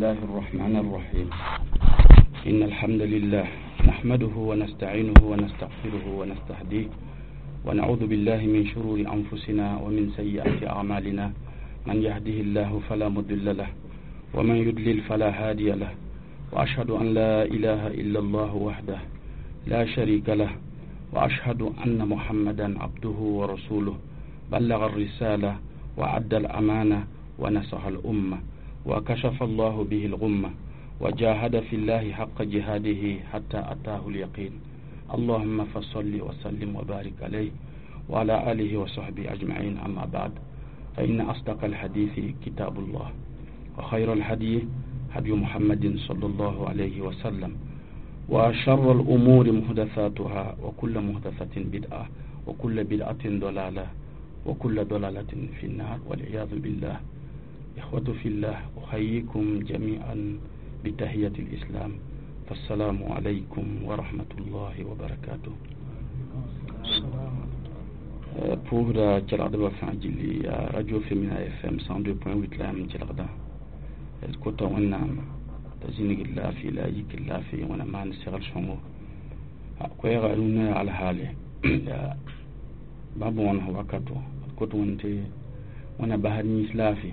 الله الرحمن الرحيم إن الحمد لله نحمده ونستعينه ونستغفره ونستهديه ونعوذ بالله من شرور أنفسنا ومن سيئات أعمالنا من يهده الله فلا مضل له ومن يضلل فلا هادي له وأشهد أن لا إله إلا الله وحده لا شريك له وأشهد أن محمدا عبده ورسوله بلغ الرسالة وأدى الأمانة ونصح الأمة وكشف الله به الغمة وجاهد في الله حق جهاده حتى أتاه اليقين اللهم فصل وسلم وبارك عليه وعلى آله وصحبه أجمعين. أما بعد، فإن أصدق الحديث كتاب الله، وخير الهدي هدي محمد صلى الله عليه وسلم، وشر الأمور محدثاتها، وكل محدثة بدعة، وكل بدعة ضلالة، وكل ضلالة في النار والعياذ بالله. إخوة في الله، أحييكم جميعا بتحية الإسلام، فالسلام عليكم ورحمة الله وبركاته. Pʋʋsda kelgdbã fãa gilli yaa Radio Femina FM 102.8 la yãmb kelgda. D kota Wẽnnaam t'a zĩnigd laafɩ la a yikd laafɩ, Wẽna maan segl sõngo. Koɛɛga rũnnã yaa alhaale yaa bã-bõones wakato. D kot Wẽnd tɩ Wẽna basd yĩns laafɩ.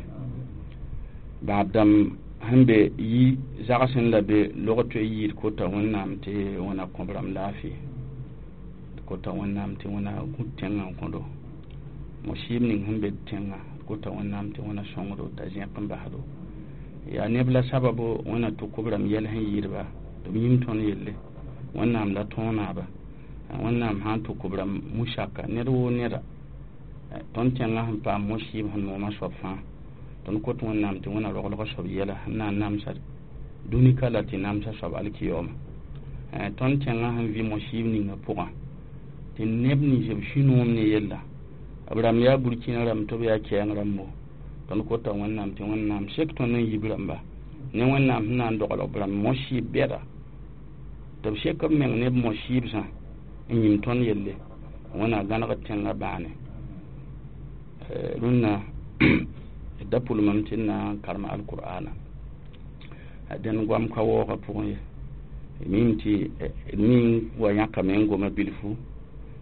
Bãab dãmb sẽn be yi zagsẽ la be log toe yɩɩd, kota Wẽnnaam tɩ Wẽna kõb rãmb laafɩ. D kota Wẽnnaam tɩ Wẽna gũ tẽngã n kõdo mosɩɩb ning sẽn be tẽngã. D kota Wẽnnaam tɩ Wẽna sõngdo t'a zẽk n basdo. Yaa neb la sababo Wẽna tʋk b rãmb yɛl sẽn yɩɩdba tɩ b yĩm tõnd yelle. Wẽnnaam la tõog naaba. Wẽnnaam sã n tʋk b rãmb musaka ned woo neda tõnd tẽngã sẽn paam mosɩɩb sẽn nooma soab fãa. Tõnd kot Wẽnnaam tɩ Wẽna roglga soab yɛla sẽn na n namsa dũnika la tɩ namsa soab alkiyoma. Tõnd tẽngã sẽn vɩ mosɩɩb ninga pʋgã tɩ neb nins b sũ-noom ne yella, b rãmb yaa burkina rãmb tɩ b yaa kɛɛng rãmbo. Tõnd kota Wẽnnaam tɩ Wẽnnaam sek tõnd n yib rãmba ne Wẽnnaam sẽn na n doglg b rãmb mosɩɩb bɛda tɩ b sek b meng ne b mosɩɩbsã n yĩm tõnd yelle. Wẽna gãneg tẽngã bãane. Rũnnã da pʋlmame tɩ d na n karem alqur'ana dẽnd goam ka waoogã pʋgẽ ye. Mim tɩ d mi wa yãkame n goma bilfu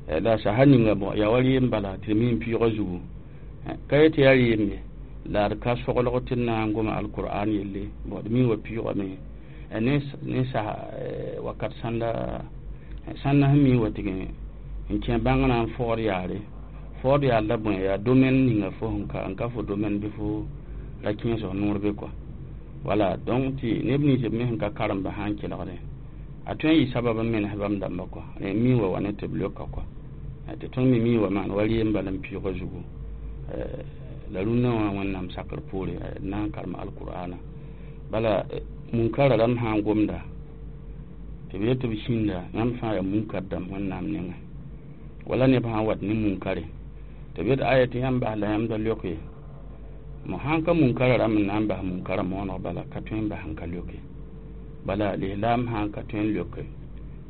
la sasa ninga bõ yaa wa rɩɩm bala tɩ d mi n pɩʋʋgã zugu ka ye tɩ yaa rɩɩm ye la d ka soglg tɩ d na n goma alqur'an yelle. Bõ, d mi wa pɩʋʋgame ne sasa wakat sãnda sãnda sẽn mi wa tɩg n kẽ bãngrã n fɔɔd yaare. Fɔɔd yaar la bõe yaa domaine ninga fo sẽn ka n ka fo domaine bɩ fo ra kẽes f noor be kɔa. Wala donc tɩ neb nins b me sẽn ka karemba sã n kelgdẽ, a tõe n yɩ sabab n menes bãmb dãmba kɔa. Rẽ mi wa wa ne tɩ b leoka kɔa tɩ tõnd me mi wa maan wa rɩɩm bala n pɩʋʋgã zugu. La rũnnã wã Wẽnnaam sakr poore d na n karem alqur'ana. Bala munkara rãmb sã n gomda tɩ b yet tɩ b sĩnda, yãmb fãa yaa munkar dãmb Wẽnnaam nengẽ. Wala neb sã n wat ne munkare tɩ b yet aya tɩ yãmb bas la yãmb da leok ye. Mo sãn ka munkara rãmb n na n bas munkara mooneg, bala ka tõe n bas n ka leoke. Bala lislaam sã n ka tõe n leoke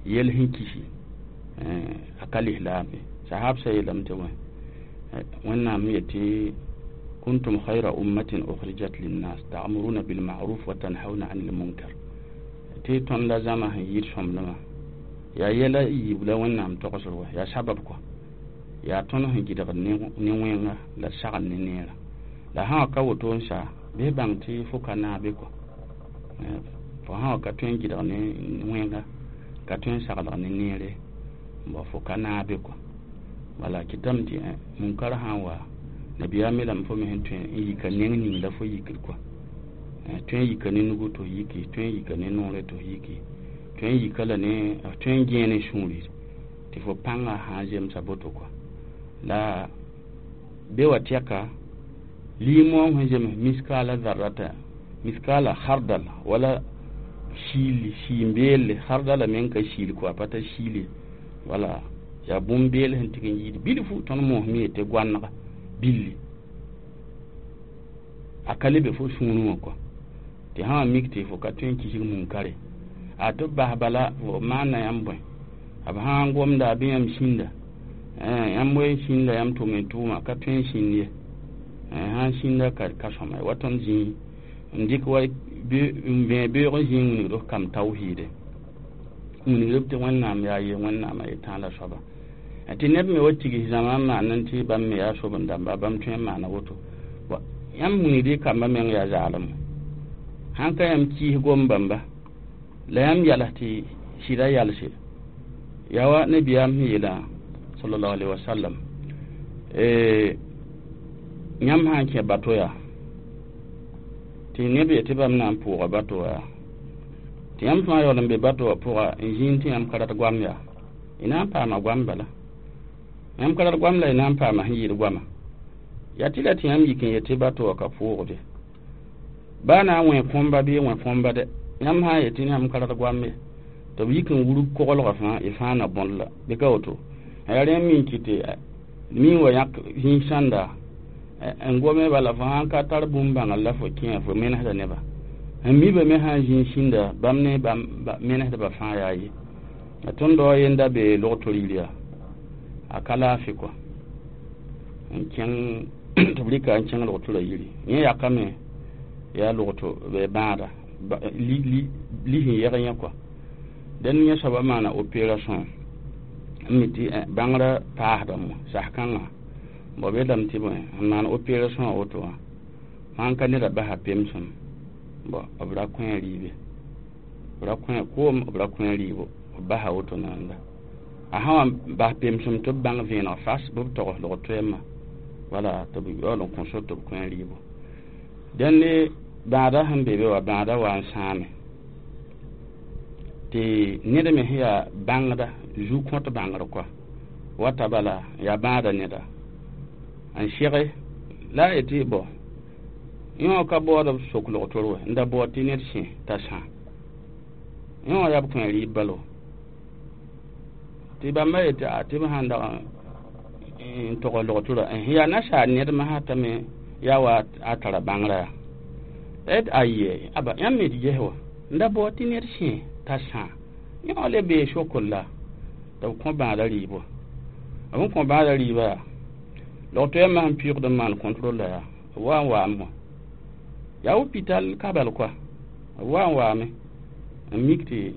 yel sẽn kisi, a ka lislaam ye. Sahabsã yeelame tɩ wẽ Wẽnnaam yetɩ: كنتم خير أمة أخرجت للناس تأمرون بالمعروف وتنهون عن المنكر. Tɩ tõnd la zãma sẽn yɩɩd sõmblmã yaa yɛla yiib la Wẽnnaam togsd wa yaa sabab kɔ yaa tõnd sẽn gɩdgd ne wẽnga la sagn ne neerã. La sã wa ka woto n sa bɩ bãng tɩ fo ka naabe kɔ. Fo sã wa ka tõe n gɩdg ne wẽnga, ka tõe n saglg ne neere, bõ fo ka naabe kɔ. Wala kɩtame tɩ munkar sã n wa nabiyaam yeelame fo me sẽn tõe n yika neng ning la fo yikd kɔa. Tõe n yika ne nugu tɩ f yiki, tõe n yika ne noore tɩ f yiki, tõe n yika la ne tõe n gẽe ne sũuri tɩ fo pãngã sã n zemsa boto kɔa. La be wa tɛka liimoong sẽn zems miskaala zarrata miskaala khardal wala siili siin-beelle khardala meng ka siil kɔa pa t'a siile. Wala yaa bũmb-beel sẽn tɩg n yɩɩd bilfu. Tõnd moosme yetɩ goanega billi a ka le be fo sũurẽ wã kɔa tɩ sã wa mik tɩ fo ka tõe n kisg munkare a tɩ b bas bala fo maana yãmb bõe b sã n gomda bɩ yãmb sĩnda yãmb we sĩnda yãmb tʋm n tʋʋma ka tõe n sĩnd ye. Sã n sĩnda ka sõma wa tõnd zĩig N dɩk wa n vẽe beoog n zĩ n wilgd f kam tawhiide n wilgd b tɩ Wẽnnaam yaa ye, Wẽnnaam a ye tãala soaba. Tɩ neb me wa tigs zãma n maan tɩ bãmb me yaa soben-dãmba, bãmb tõe n maana woto. Yãmb wilgd y kambã meng yaa zaalem. Sãn ka yãmb kiis gom bãmba la yãmb yals tɩ sɩda yalse yaa wa nabiyaam sẽn yeelã sallallahu alaihi wasallam, yãmb sã n kẽ bato yaa tɩ neb yetɩ bãmb na n pʋʋga bato wã yaa tɩ yãmb fãa yaool n be bato wã pʋga n zĩnd tɩ yãmb ka rat goam yaa y na n paama goam bala. Yãmb ka rat goam la y na n paama sẽn yɩɩd goama. Yaa tɩ la tɩ yãmb yik n yetɩ bato wã ka pʋʋgde baa na n wẽ kõmba bɩ wẽ kõmba dɛ yãmb sã n yetɩ yãmb ka rat goam ye tɩ b yik n wurg koglgã fãa y fãa na bõd la bɩ ka woto. Yaa rẽ n min kɩ tɩ min wa yãk zĩig sãnda n gome bala fo sãn ka tar bũmb bãngr la fo kẽ fo menesda nebã n miba me sã n zĩig sĩnda bãmb ne bãmb menesdbã fãa yaa ye. La tõnd dao a yenda bee log-tʋr yir yaa a ka laafɩ kɔa n kẽng tɩ b rɩka n kẽng log-tʋrã yiri yẽ yakame yaa log-tʋ bãada lis n yɛg yẽ kɔa. Dẽn yẽ soabã maana opération n mi tɩ bãngrã paasdame sas-kãngã b yeelame tɩ bõe n maan opération wã woto wã sãn ka neda basa pemsem b ra kõ rɩɩbe b ra kõ koom b ra kõ rɩɩbo b basa woto nanda. A sã wa bas pemsem tɩ b bãng vẽeneg fas bɩ b togs log-toɛɛmã wala tɩ b yaool n kõ sor tɩ b kõ rɩɩbo. Dẽnd bãada sẽn be be wã bãada wa n sãame tɩ ned me sẽn yaa bãngda zu-kõt bãngr kɔa wata bala yaa bãada neda n sege la a yetɩ bõ yẽ wã ka baood b sok log-tor wɛ n da baood tɩ ned sẽ t'a sã yẽ wã yaa b kõ rɩɩb balo tɩ bãmba yetɩ a tɩ b sãn dag n togs log-torã yaa nasaar ned masã t'a me yaa wa a tara bãngrã yaa t'a yet aye aba yãmb me tɩ ges wa n da baood tɩ ned sẽ t'a sã yẽ wã le bee sokr la tɩ b kõ bãada rɩɩbo. B n kõ bãada rɩɩbã yaa log-toɛɛmã sẽn pɩʋgd n maan contrôle la yaa b wa n waame wã yaa hôpital kabal kɔa b wa n waame n mik tɩ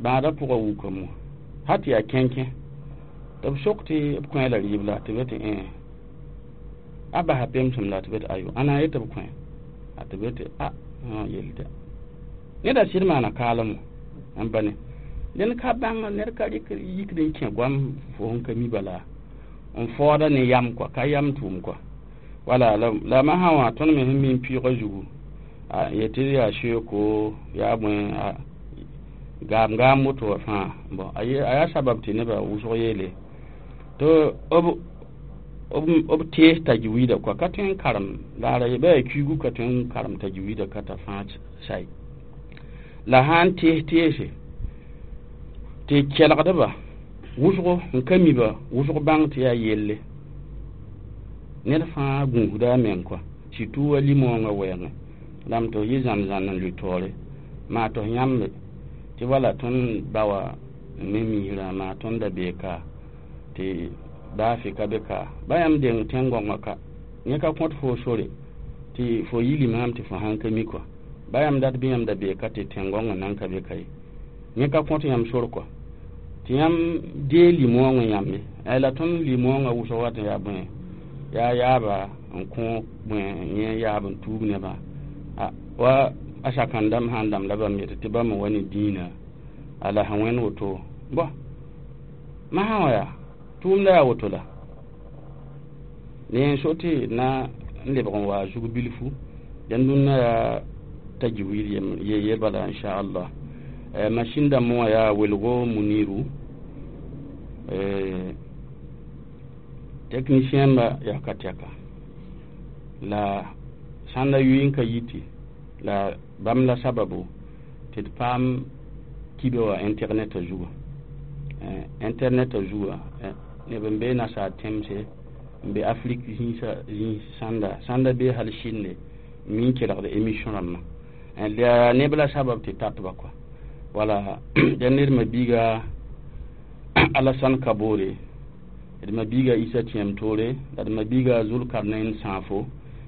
bãada pʋgã wukame wã sã tɩ yaa kẽnkẽ tɩ b sok tɩ b kõ la rɩɩb la tɩ b tɩ a basa pemsem la tɩ b tɩ ayo ãna ye tɩ b kõ a tɩ b tɩ a yel tɩ neda sɩd maana kaalem n ba ne ned ka bãng ned ka rɩk yikd n kẽ goam fo sẽn ka mi bala n faooda ne yam kɔa ka yam tʋʋm kɔa wala la masã wã tõnd me sẽn mi n pɩʋgã zugu a yetɩ yaa seooko yaa bõe gaam gaam woto wã fãa bon a yaa sabab tɩ nebã wʋsg yeele tɩ b tees tajwiida kɔa ka tõe n karem laara ye ba yaa kuigu ka tõe n karem tajwiida ka t'a fãa say la sã n tees teese tɩ kelgdba wʋsgo n ka miba wʋsg bãng tɩ yaa yelle ned fãa gũusda a meng kɔa surtout wa limõongã wɛɛngẽ lame tɩ f yɩ zãn-zãn n lʋɩ taoore maa tɩ f yãmbe tɩ wala tõnd ba wã n me misrã maa tõnd da bee ka tɩ baa fɩ ka be ka ba yãmb deng tẽn-gõngã ka yẽ ka kõt foo sore tɩ fo yi limaam tɩ fo sãn ka mi kɔa ba yãmb dat bɩ yãmb da bee ka tɩ tẽn-gõngã nan ka be ka ye yẽ ka kõt yãmb sor kɔa tɩ yãmb dee limõongã yãmbe la tõnd limõongã wʋsg wat n yaa bõe yaa yaaba n kõ bõe yẽ yaab n tuug nebã wa a sakãn-dãmb sã n dãmb la bãmb yetɩ tɩ bãmb wa ne dĩinã a la sẽn wẽnd woto bõ masã wã yaa tʋʋmda yaa woto la ne n so tɩ na n lebg n waa zug bilfu dẽnd dũnna yaa tajwid ye bala inchallah. Machine dãmb wã yaa welgo muniru technicien ba yaa ka tɛka la sãn da yʋɩ n ka yiti la bãmb la sababu tɩ d paam kibe wã internet zuga internet zuga neb n be nasaar tẽmse n be Afrique zĩig sãnda sãnda bee hal Chine mi n kelgd émission rãmbã la neb la sabab tɩ tatba kɔa wala dẽnd ned ma biiga Alassane Kabore d ma biiga Issa Tiam Toure la d ma biiga Zulkarnain Sãafo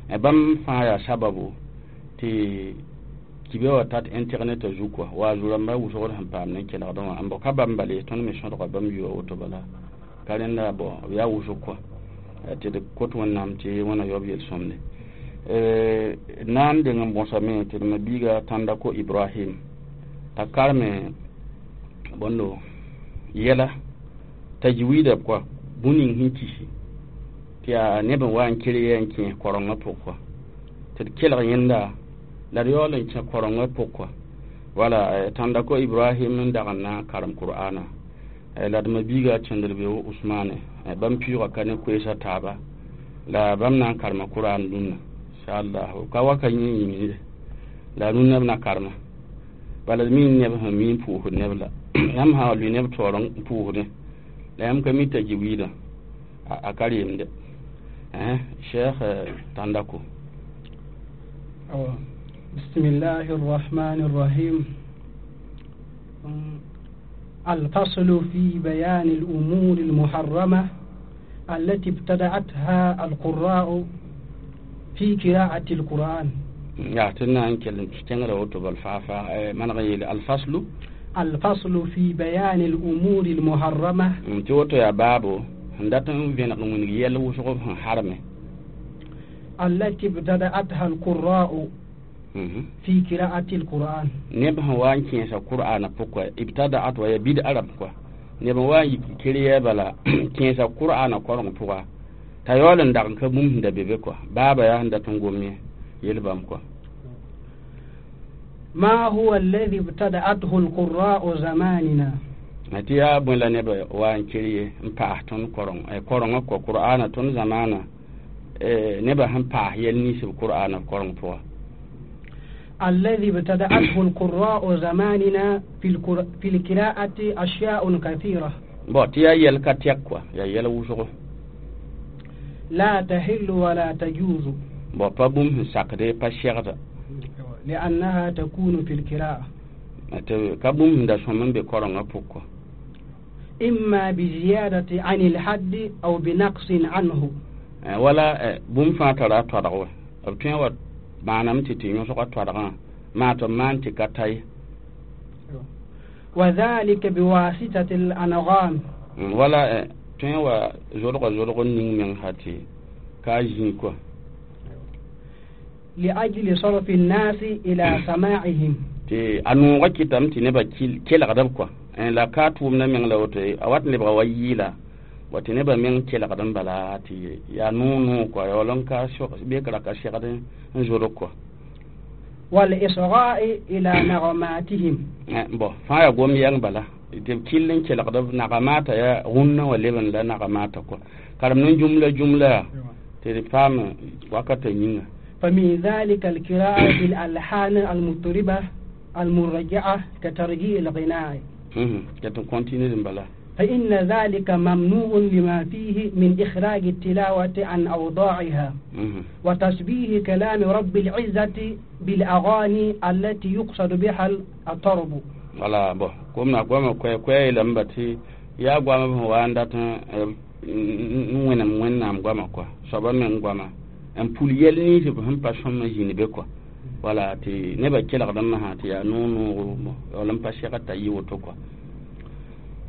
bãmb fãa yaa sababu Tɩ kibe wa tat internet a zu kɔa wa zu-rãmba wʋsgd sẽn paam ne kelgdẽ wã n bõ ka bãmb bala ye tõnd me sõdga bãmb yʋa woto bala ka rẽnda bõ b yaa wʋsg kɔa tɩ d kot Wẽnnaam tɩ Wẽna yaoob yel-sõmde na n deng n bõsame tɩ d ma-biiga Tãndako Ibrahim t'a karme bõndo yɛla tajwida kɔa bũn ning sẽn kisi tɩ yaa neb n wa n ker yɛ n kẽes korengã pʋg kɔa tɩ d kelg yẽnda la d yaool n kẽ korengã pʋg kɔa wala Tãndako Ibrahim n dag n na n karem Qur'ana la d ma-biiga Kẽndr-beoog Usmane bãmb pɩʋʋga ka ne koeesã taaba la bãmb na n karema Qur'an dũnna inchallah ka wa ka yẽ yĩngre la rũnnã b na karema bala d mi neb sẽn mi n pʋʋsd neb la yãmb sã wa lʋɩ neb taoor n pʋʋsdẽ la yãmb ka mi tajwidã a ka reemde. Cheikh Tandako. بسم الله الرحمن الرحيم. الفصل في بيان الأمور المحرمة التي ابتدعتها القراء في قراءة القرآن. يا تنا أنك تنقرأ وتب الفافا من غير الفصل. الفصل في بيان الأمور المحرمة. توتو يا بابو عندما بين من يلو شغل حرمه. التي ابتدأتها القراء في قراءة القرآن. نبه وان كيس القرآن بقوة ابتدأت ويبدأ عرب قوة نبه وان كريه بلا كيس القرآن قرآن بقوة تيالن دعن كبوم دبيبقوة بابا يا عند تنقومي يلبم قوة. ما هو الذي ابتدأته القراء زماننا؟ Ati ya bõe la neb wa n kir n paas tõnd koreng korengã kɔ Qur'ana tõnd zamaana nebã sẽn paas yɛl ninsb Qur'ana koreng pʋga. الذي ابتدأته القراء زماننا في القراءة أشياء كثيرة. Bon tɩ yaa yɛl ka tɛk kɔa yaa yɛl wʋsgo. لا تحل ولا تجوز. Bon pa bũmb sẽn sakde pa segda. لأنها تكون في القراءة. Tɩ ka bũmb sẽn da sõm n be korengã pʋg kɔa. إما بزيادة عن الحد أو بنقص عنه. ولا bũmb fãa tara toadg wa b tõe wa maaname tɩ tɩ yõsga toadgã maa tɩ b maan tɩ ka ta ye. وذلك بواسطة الأنغام. Wala tõe wa zodga zodg ning meng sã tɩ ka zĩ kɔa. لأجل صرف الناس إلى سماعهم. Tɩ a noogã kɩtame tɩ nebã kelgd b kɔa la ka tʋʋmdã meng la woto a wat lebga wa yɩɩla wa tɩ nebã meng kelgd n bala tɩ yaa noog noog kɔa yaool n ka bekra ka segd n zodg kɔa. والإصغاء إلى نغماتهم. Bon fãa yaa gom yɛng bala tɩ b kell n kelgd b nagamata yaa rũnnã wa leb n la nagamata kɔa karem ne jumla jumla tɩ d paam wakata yĩnga. فمن ذلك القراءة بالألحان المطربة المرجعة كترجيع الغناء. فإن ذلك ممنوع لما فيه من إخراج التلاوة عن أوضاعها وتشبيه كلام رب العزة بالأغاني التي يقصد بها الطرب. Wala bo komna goama koɛ lamba tɩ yaa goama sẽn wa n dat n wẽnem Wẽnnaam goama kɔa soaba meng goama n pul yɛl ninsb sẽn pa sõm n zĩnd be kɔa wala tɩ nebã kelgd n masã tɩ yaa noog noogo yaool n pa segd t'a yɩ woto kɔa.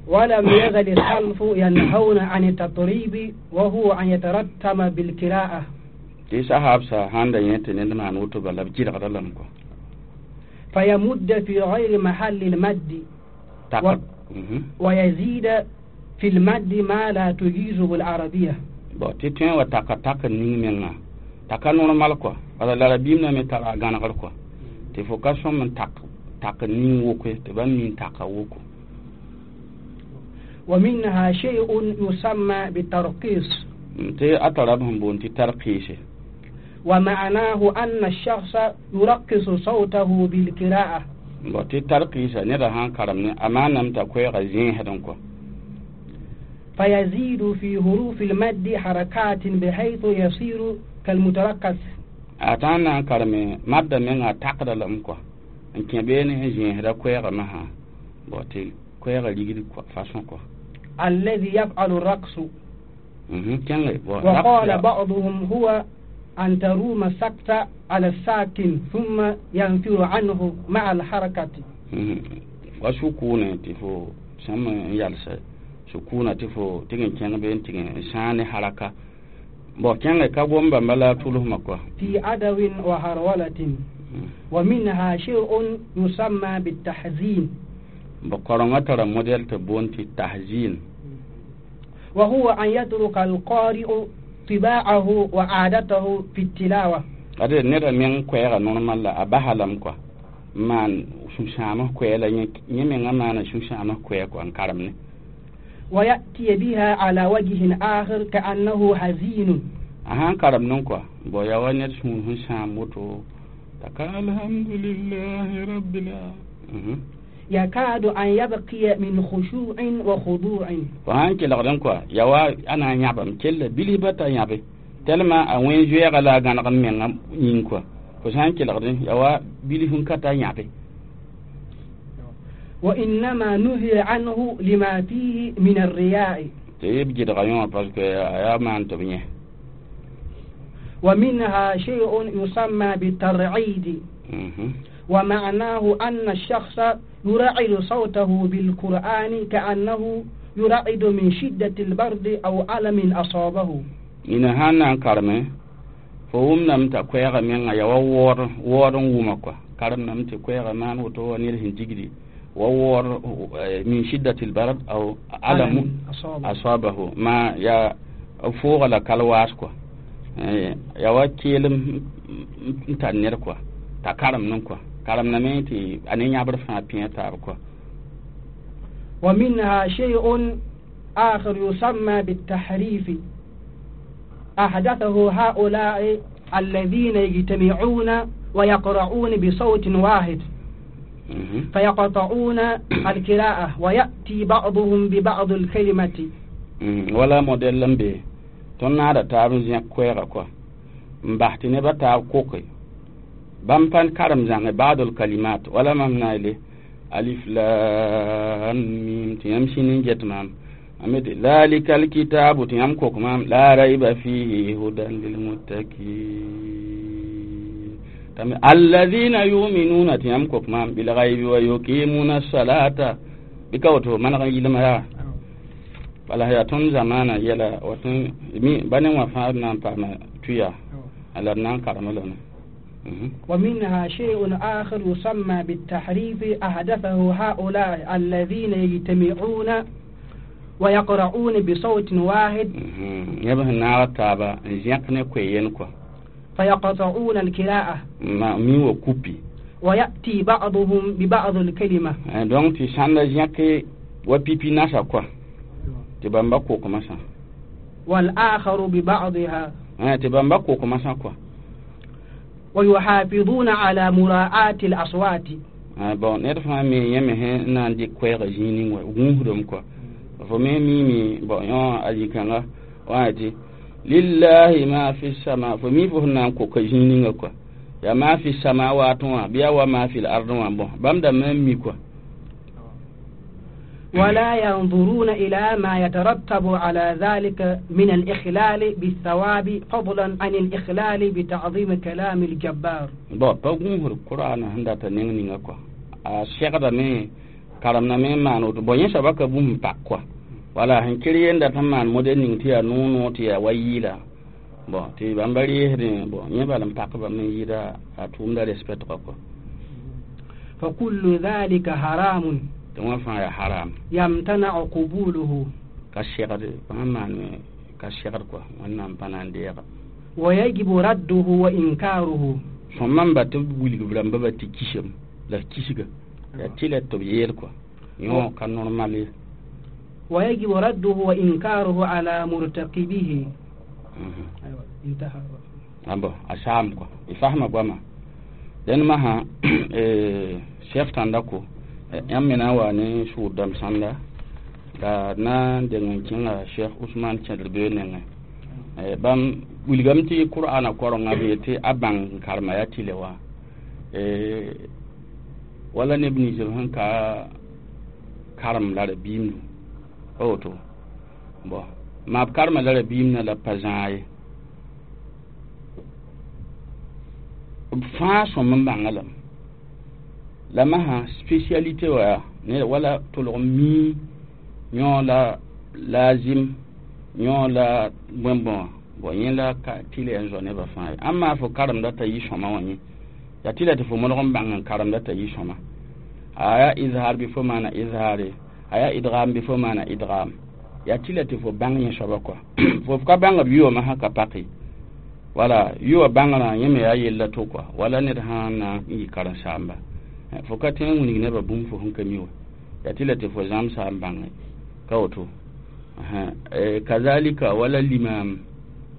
ولم يزل السلف ينهون عن التطريب وهو أن يترتم بالقراءة. Tɩ sahabsa sãn da yẽ tɩ ned maan woto bala b gɩlgda lame kɔa. فيمد في غير محل المد ويزيد في المد ما لا تجيزه العربية. Bon tɩ tõe wa taka tak ning menga taka normal kɔa bala la rabiim na me tara gãnegr kɔa tɩ fo ka sõm n tak tak ning wokoe tɩ bãmb nin taka woko. ومنها شيء يسمى بالترقيص. Tɩ a tara b sẽn boond tɩ tarqiise. ومعناه أن الشخص يرقص صوته بالقراءة. Bon tɩ tarqiisa neda sãn karem ne a maaname t'a koɛɛga zẽesd n kɔa. فيزيد في حروف المد حركات بحيث يصير كالمترقص. A tã n na n kareme madda menga a takda lame kɔa n kẽ beene sẽn zẽesda koɛɛgã masã bon tɩ koɛɛgã rigd façon kɔa. الذي يفعل الرقص. كان وقال بعضهم هو أن تروم السكت على الساكن ثم ينفر عنه مع الحركة. وسكون تفو سم يالس سكون تفو تيجي كان بين تيجي سان حركة بو كان كابوم بملا طوله مكوا في عدو وهرولة. ومنها شيء يسمى بالتحزين. بقرنة ترى موديل تبون التحزين. وهو أن يترك القارئ طباعه وعادته في التلاوة. هذا نرى من كويرا نورمال لا أباها كوا مان شو كويرا يمين أنا شو شامه كويرا كوان كارمني. ويأتي بها على وجه آخر كأنه حزين. أها كارمنون كوا بويا ونيت شو شاموتو الحمد لله رب العالمين. يكاد أن يبقي من خشوع وخضوع. فهانك لغدن كوا يوا أنا يابم كل بلي بتا يابي تلما وين جوي غلا غان من يين كوا فهانك لغدن يوا بلي هن كتا يابي. وإنما نهي عنه لما فيه من الرياء. تيب جد غيون باسكو يا ما أنت بنيه. ومنها شيء يسمى بالترعيد. ومعناه أن الشخص يرعد صوته بالقرآن كأنه يرعد من شدة البرد أو ألم أصابه. إن هانا كارمي فهم نمت كويغا من يوور وور ومكوا كارم نمت كويغا مان وتو نيرهن تجري وور من شدة البرد أو ألم أصابه ما يا فوق لا كالواسكوا يا وكيلم تانيركوا تكارم نكوا كارم نمتي أني يعبر فيها تاركوا. ومنها شيء آخر يسمى بالتحريف أحدثه هؤلاء الذين يجتمعون ويقرؤون بصوت واحد فيقطعون القراءة ويأتي بعضهم ببعض الكلمة. ولا موديل لمبي تنادى تابن كويرا كوا مبحتني بتاب كوكي بامبان كرم زعما بعض الكلمات ولا ممنع لي ألف لام ميم تيمشي نجت مام أمد ذلك الكتاب تيم كوك مام لا ريب فيه هدى للمتقين تم الذين يؤمنون تيم كوك مام بالغيب ويقيمون الصلاة بكوتو من غير ما ولا هي تون زمانا يلا وتون مي بني وفارنا بما تيا على نان كرملنا. ومنها شيء آخر يسمى بالتحريف أحدثه هؤلاء الذين يجتمعون ويقرؤون بصوت واحد فيقطعون القراءة ويأتي بعضهم ببعض الكلمة. والآخر ببعضها ويحافظون على مراعاة الأصوات. bon نرفع مي يمه ناندي كويغ جينين وغوهدم كوا فمي ميمي bon يون أجي كانغا واتي لله ما في السماء فمي فهنا كو كجينين كوا يا ما في السماوات بيا وما في الأرض bon بام مي كوا. ولا ينظرون إلى ما يترتب على ذلك من الإخلال بالثواب فضلا عن الإخلال بتعظيم كلام الجبار. bon بقول القرآن هندا تنين نكوا الشيخ ده مي كلامنا مي ما نود بني شبكة بوم باكوا ولا هنكري عند تمان موديل نتيا نونو تيا ويلا bon تي بامبري هرين bon يبالم باك بامي يدا أتوم ده respect كوا. فكل ذلك حرام. تما حرام يمتنع قبوله كشغر فهمان كشغر كوا ونام بنان ويجب رده وإنكاره. فمن بتقول قبل ما بتكشم لا كشغ لا تلا تبيل كوا يو كان نورمالي. ويجب رده وإنكاره على مرتكبه. أيوة انتهى. أبو أشام كوا يفهم أبو ما لأن ما شيخ تندكو yãmb wa ne sʋʋd dãmb sãnda la na n deng n kẽnga Cheikh Ousmane Kẽdr-beoog nengẽ bãmb wilgame tɩ Qur'ana korenga bee tɩ a bãng karema yaa tɩlɛ wã wala neb nins b sẽn ka karem la rabiimdu pa woto bon maa b karema la rabiimdã la pa zãag ye B fãa sõm n bãnga lame. La masã spécialité wa yaa ne wala tʋlg mii yõ la lazim yõ la bõe bõa bon yẽ la ka tɩlɛ n zao nebã fãa ye. Ãmb fo karemda t'a yɩ sõma wã yẽ yaa tɩla tɩ fo modg n bãng n karemda t'a yɩ sõma. A yaa izhar bɩ fo maana izhare, a yaa idgam bɩ fo maana idgam, yaa tɩla tɩ fo bãng yẽ soaba kɔa. Fo ka bãng b yʋʋmã sã ka pake. Wala yʋa bãngrã yẽ me yaa yella to kɔa, wala ned sã na n yɩ karen-saamba fo ka tõe n wilg nebã bũmb fo sẽn ka mi wa, yaa tɩla tɩ fo zãmsa n bãnge ka woto. Kazalika wala limam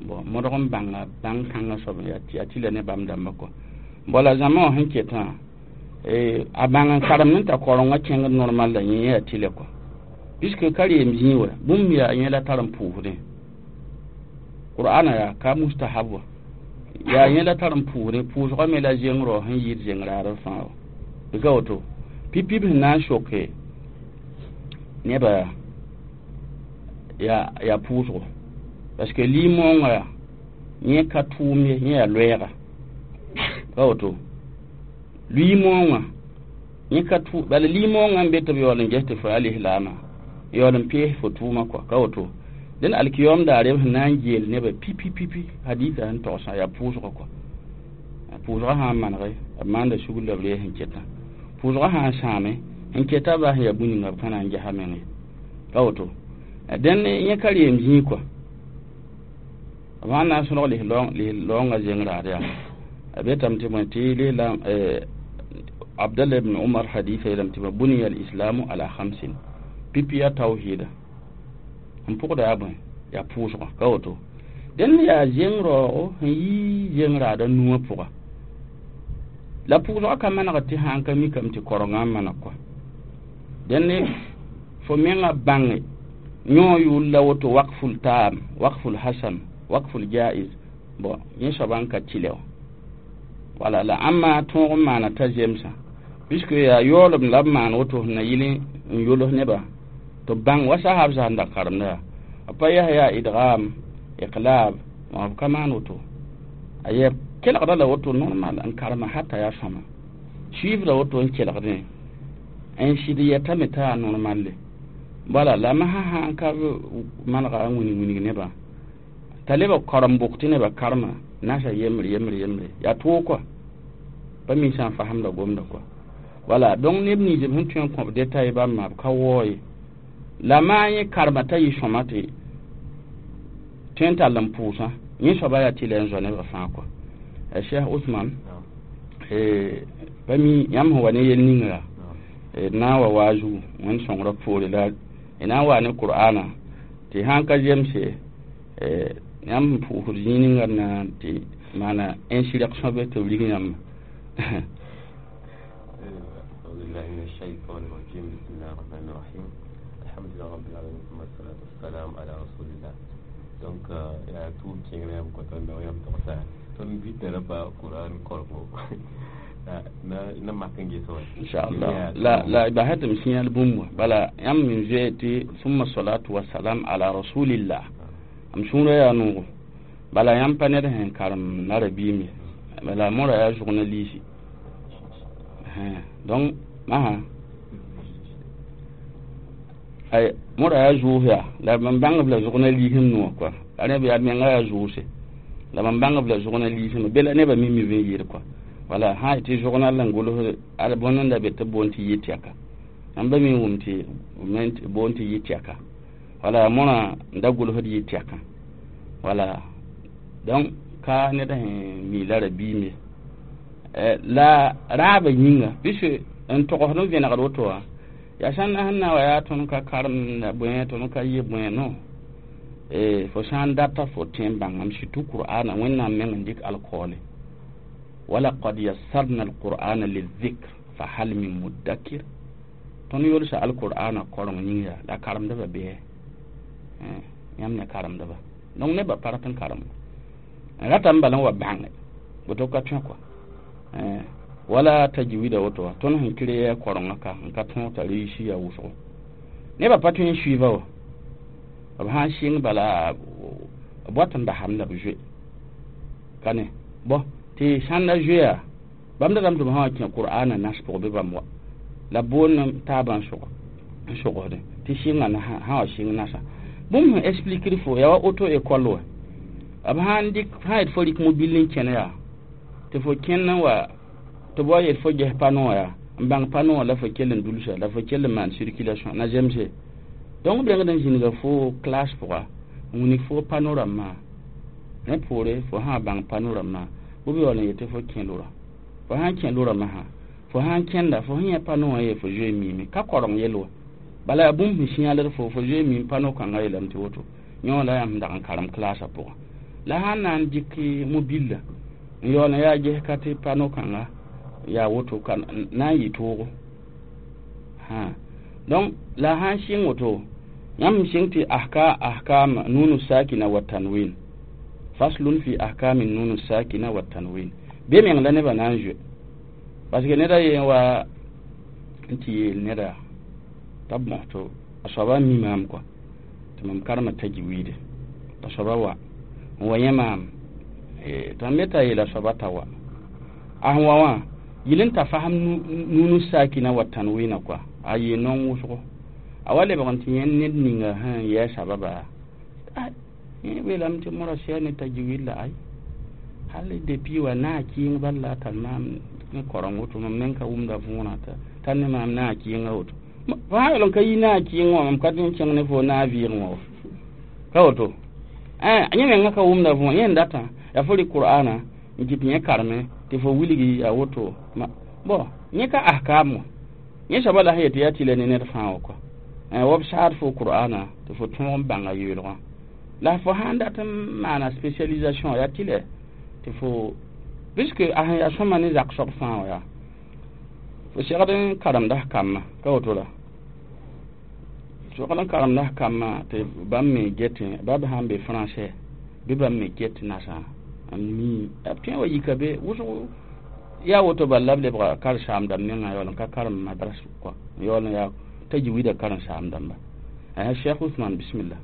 bon modg n bãnga bãng kãngã soab yaa tɩla ne bãmb dãmbã kɔa. Bala zãma wã sẽn ketã a bãng n karemd n ta korengã kẽngd normal la yẽ yaa tɩlɛ kɔa, puisque ka reem zĩig wa bũmb yaa yẽ la tar n pʋʋsdẽ. Qur'ana yaa ka mustahab wa, yaa yẽ la tar n pʋʋsdẽ, pʋʋsgã me la zengrã sẽn yɩɩd zeng-raadb fãa wa. Bɩ ka woto pipi b sẽn na n soke nebã yaa pʋʋsgo, parce que limõongã yẽ ka tʋʋm ye, yẽ yaa loɛɛga ka woto. Limõongã yẽ ka tʋ bala limõongã n be tɩ b yaool n ges tɩ fo yaa lislaamã yaool n pees fo tʋʋmã kɔa ka woto. Dẽn alkiyom daare b sẽn na n geel nebã pipi pipi hadisa sẽn togsã yaa pʋʋsgã kɔa. Pʋʋsgã sã n manege b maanda sugr la b rees n ketã, pʋʋsgã sã n sãame n keta bas yaa bũmb ninga b ka na n gesa meng ye ka woto. Dẽn yẽ ka reem zĩig kɔa, b sã n na n sõlg lis-laoongã zeng raad yaa a betame tɩ bõe tɩ lislaam Abdallah ibn Umar hadisa yeelame tɩ buniya al-islamu ala khamsin, pipi yaa tawhida n pʋgda yaa bõe yaa pʋʋsgã ka woto. Dẽn yaa zeng raoogo sẽn yii zeng raadã nuwã pʋga la pʋʋsgã ka manegd tɩ sã n ka mikame tɩ korengã n maneg kɔa. Dẽn fo mengã bãnge yõ yʋʋl la woto waqful taam, waqful hasan, waqful jaiz, bon yẽ soaba n ka tɩlɛ wã. Wala la ãmba tõog n maana t'a zemsã, puisque yaa yaoolem la b maan woto sẽn na yɩl n yols nebã tɩ b bãng wa sahab zã n da karemda yaa b pa yaa yaa idgam iqlab b ka maan woto, a yɛ kelgda la woto normal n karema hata yaa sõma suivra woto n kelgdẽ n sɩd yɛtame t'a yaa normalle. Bala la masã sã n ka manega n wilg wilg nebã t'a leb b karem bʋk tɩ nebã karema nasa yembre yembre yembre yaa toog kɔa, pa mi sã n fasemda gomda kɔa. Wala donc neb nins b sẽn tõe n kõ b détail bãmba b ka wao ye, la maa yẽ karema t'a yɩ sõma tɩ tõe n tall n pʋʋsã yẽ soaba yaa tɩlɛ n zao nebã fãa kɔa. Cheikh Ousmane pa mi yãmb sẽn wa ne yel ninga d na n wa waa zugu wẽnd sõngrã poore la d na n waa ne Qur'ana tɩ sã n ka zemse yãmb sẽn pʋʋsd zĩig ninga d na tɩ maana insurrection be tɩ b rig yãmba. أعوذ بالله من الشيطان الرجيم، بسم الله الرحمن الرحيم، الحمد لله رب العالمين، ثم الصلاة والسلام على رسول الله. Donc yaa tʋʋm kẽngre yãmb kõta n yãmb togsa tõnd vɩtã rã pa Qur'an korgo na mak n ges wa inchallah. La basɛ tɩ m sĩyal bũmb wã bala yãmb n zoe tɩ summa salatu wasalam ala rasulillah m sũurã yaa noogo, bala yãmb pa ned sẽn karem nara biim ye, bala mõra yaa zʋgna liisi. Donc masã ay mõra yaa zʋʋs yaa la b bãng b la zʋgna liisem nuwã kɔa, a rẽ yaa menga yaa zʋʋse la b bãng b la zʋgna liisem be la nebã mim b n yɩɩd kɔa. Wala sã tɩ zʋgna la n gʋls ad bõnd n da be tɩ b boond tɩ yɩ tɛka, yãmb me wʋm tɩ boond tɩ yɩ tɛka, wala mõrã n da gʋlsd yɩ tɛkã. Wala donc ka ned sẽn mi la rabiim ye la raabã yĩnga puisque n togsd n vẽnegd woto wã yaa sãn na sẽn na wa yaa tõnd ka karem la bõe tõnd ka yɩ bõe no fo sã n data fo tẽ n bãngame surtout Qur'ana Wẽnnaam meng n dɩk alkoole walaqad yassarna alqur'ana lizikr fa hal min muddakir, tõnd yolsa alqur'ana koreng yĩng yaa la karemdbã bɩ yãmb ne karemdba donc nebã pa rat n karem n ratame bala n wa bãnge woto ka tõe kɔa wala tajwida woto wa tõnd sẽn kre korengã ka n ka tõog t'a réussi yaa wʋsgo nebã pa tõe n suiva wa b sã n sɩng bala b wat n basame la b zoe ka ne bõ tɩ Tɩ sãn da zoeya bãmb datame tɩ b sã wa kẽ qur'ana nas pʋg bɩ bãmb wa la boond taabã n sogsdẽ tɩ sɩnga sã wa sɩng nasa bũmb sẽn expliquer fo yaa wa auto école wa b sãn dɩk sã yet fo rɩk mobil n kẽne yaa tɩ fo kẽnd n wa tɩ b wa yet fo ges pano wã yaa n bãng pano wã la fo kell n dulsa la fo kell n maan circulation na zemse donc b rengd n zĩnga fo classe pʋga n wilg fo pano rãmbã rẽ poore fo sã bãng pano rãmbã bɩ b yaool n yetɩ fo kẽ lora fo sãn kẽ lora masã fo sãn kẽnda fo sẽn yẽ pano wã ye fo zoe miime ka koreng yell wa bala yaa bũmb sẽn sĩyaled fo fo zoe miim pano kãngã yeelame tɩ woto yõ la yãmb sẽn dag n karem classã pʋgã la sãn na n dɩk mobila n yaool n yaa ges ka tɩ pano kãnga yaa woto ka na n yɩ toogo donc la sãn sɩng woto yãmb sɩng tɩ ahkam nunu sakina wa tanwin faslun fi ahkami nunu sakina wa tanwin be meng la nebã na n zoe parce que neda yen wa n tɩ yeel neda t'a b mos to a soaba mi maam kɔa tɩ mam karema tajwiide t'a soaba wa n wa yẽ maam tɩ mam me t'a yeela soaba t'a wa a sẽn wa wã yɩl n ta fasem nunu sakina wa tanwina kɔa a yee naong wʋsgo a wa lebg n tɩ yẽ ned ninga sẽn yɛɛ sababa yẽ weelame tɩ mora sɛa ne tajwiid la ay hal depuis wa naa kɩɩng bal la a tar maam ne koreng woto mam meng ka wʋmda võorã t'a ne maam naa kɩɩngã woto fo sã yaool n ka yi naa kɩɩng wã mam ka tɩ n kẽng ne fo naa vɩɩgẽ wã wa ka woto yẽ mengã ka wʋmda võor yẽ n datã yaa fo rɩk qur'ana n kɩt yẽ kareme tɩ fo wilgi yaa woto bon yẽ ka ahkaam wã yẽ soaba la sẽn yet yaa tɩ la ne ned fãa wã kɔa wa b saad fo qur'ana tɩ fo tõog n bãnga yeelgã la fo sãn dat n maana spécialisation yaa tɩ lɛ tɩ fo puisque a sẽn yaa sõma ne zak soab fãa wã yaa fo segd n karemda f kambã ka woto la segd n karemda f kambã tɩ bãmb me getẽ ba b sãn be français bɩ bãmb me get nasã n mi b tõe wa yika be wʋsg yaa woto bala la b lebga karen-saam-dãmb mengã yaool n ka karem madras kɔa yaool n yaa tajwida karen-saam-dãmba Cheikh Ousmane bismillah.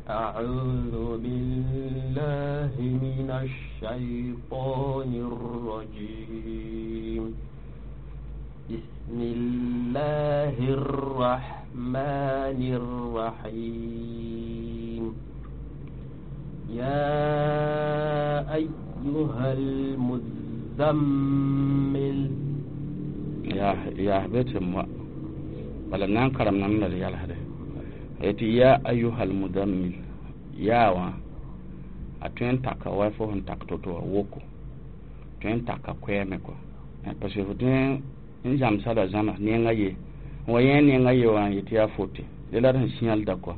أعوذ بالله من الشيطان الرجيم بسم الله الرحمن الرحيم يا أيها المزمل يا بيت bala nan karam nan la yalhade eti ya ayyuhal mudammil yaa wã a tõe n taka wa fo sẽn tak to-to wã woko tõe n taka koɛɛme kɔa parce que fo tõe n zãmsa la zãma nenga ye n wa yẽ nenga ye wã n yetɩ yaa fote de la d sẽn sĩalda kɔa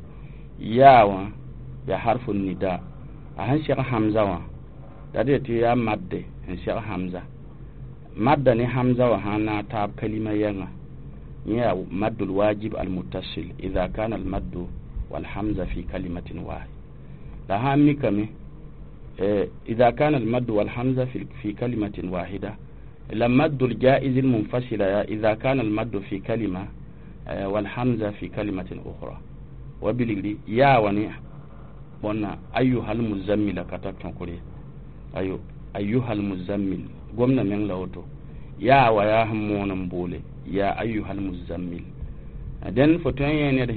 yaa wã yaa harfu nida a sẽn seg hamza wã la d yetɩ yaa madde n seg hamza madda ne hamza wã sãn na n taab kalima yɛnga yẽ yaa maddul wajib almuttasil ida kana almaddu walhamza fi kalimatin wahid la sãn mikame إذا كان المد والحمزة في كلمة واحدة la مد الجائز المنفصل إذا كان المد في كلمة والحمزة في كلمة أخرى وبالغري يا وني بنا أيها المزمل كتبت أيو أيها المزمل قمنا من لوتو يا ويا همون بولي يا أيها المزمل دن فتوين ينر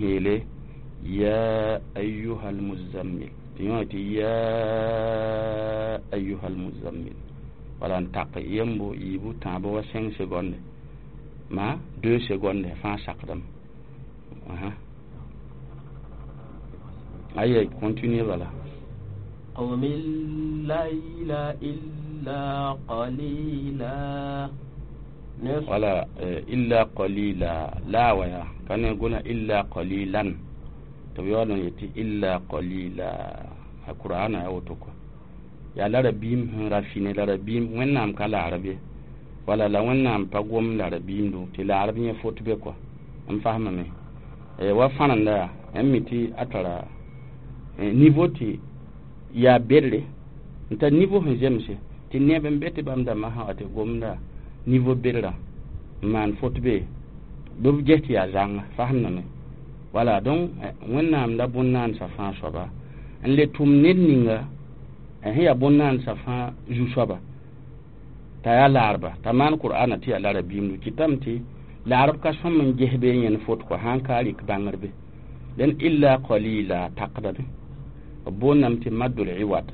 يا أيها المزمل تيوتي يا أيها المزمل wala n tak yembo yiibu tãabo wa 5 seconde ma 2 seconde fãa sakdame aye continue bala. قم الليل إلا قليلا wala illa qalila la waya kane gona illa qalilan to yaool n yetɩ illa qalila a qur'ana ya woto kɔ yaa la rabiim sẽn ra fine la rabiim wẽnnaam ka laarb ye wala la wẽnnaam pa gom la rabiimdo tɩ laarb yẽ fot be kɔ n fasmame wa fãrenda yaa n mi tɩ a tara niveau tɩ yaa bedre n tar niveau sẽn zemse tɩ neb n be tɩ bãmb dãmbã sã wa tɩ gomda niveau bedrã n maan fot be bɩ b ges tɩ yaa zãnga fasmdame wala donc wẽnnaam la bõn-naandsã fãa soaba n le tʋm ned ninga Sẽn yaa bõn-naandsã fãa zu-soaba t'a yaa laarba t'a maan qur'ana tɩ yaa la rabiimdu kɩtame tɩ laarb ka sõm n ges be yẽnd fot kɔ sãn ka rɩk bãngr be dẽn illa qalila takdame b boondame tɩ maddul iwad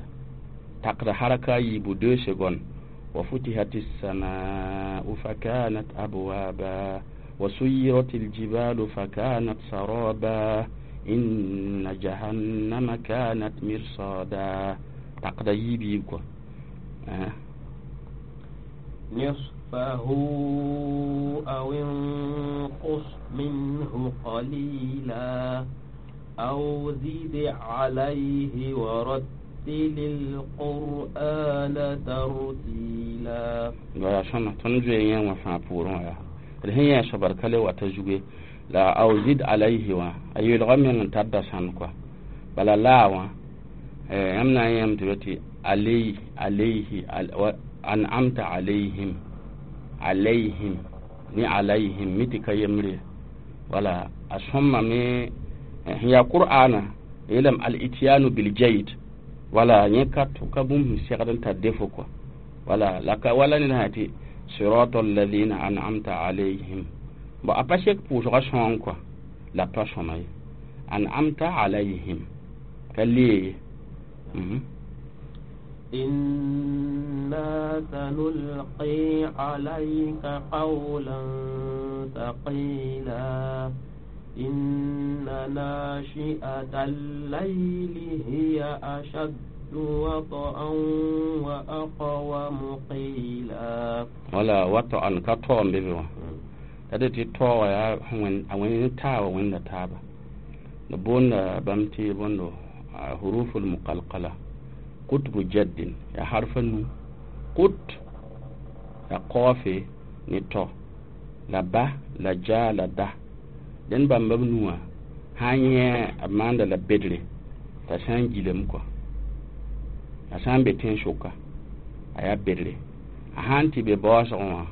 takda haraka a yiibu 2 secondes wa futihat السماء فكانت أبوابا وسيرت الجبال فكانت سرابا إن جهنم كانت مرصادا تقدا يبيب كو نصفه أو انقص منه قليلا أو زد عليه ورتل القرآن ترتيلا wala sõma tõnd zoe yẽ wã fãa pʋʋrẽ wã yaa d sẽn yẽ soabd ka le wata zuge la aw zid alayhi wã a yeelgã meng n tar dasãn kɔa bala laa wã yãmb na n yẽm tɩ tɩ alayhi alayhi an'amta alayhim alayhim ni alayhim mi tɩ ka yembre wala a sõmame sẽn yaa qur'ana yeelame al-ityanu bil-jayd wala yẽ ka bũmb sẽn segd n tar defo kɔa wala la ka wala ned sã tɩ sirata alladhina an'amta alayhim bon a pa sek pʋʋsgã sõng kɔa la pa sõma ye an'amta alayhim ka lee ye إنا سنلقي عليك قولا ثقيلا إن ناشئة الليل هي أشد وطئا وأقوم قيلا wala wata'an ka tɔɔ n be be wã la de tɩ tɔɔ wã yaa a wẽnd taaba wẽnda taaba d boonda bãmb tɩ bõndo huruful muqalqala kutbu jaddin yaa harfa nu kut la qaofe ne tɔ la ba la ja la da dẽn bãmba b nuwã sã n yẽ b maanda la bedre t'a sã n gilem kɔa a sã n be tẽn-sʋka a yaa bedre a sã n tɩ be baoosgẽ wã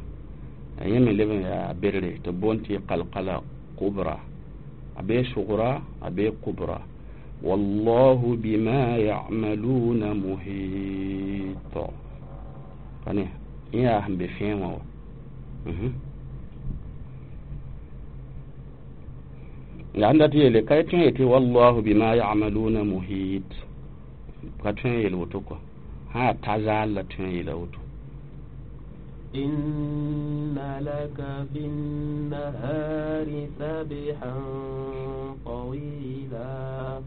a yẽ me leb n yaa bedre tɩ b boond tɩ qalqala kubra a bee sugra a bee kubra wallahu bima ya'maluna muhit pa ne yẽ yaa sẽn be fẽe wã wa la sẽn dat yeele ka tõe n yetɩ wallahu bima ya'maluna muhit ka tõe n yeel woto kɔa sã yaa ta zaal la tõe n yeela woto إن لك في النهار سبحا طويلا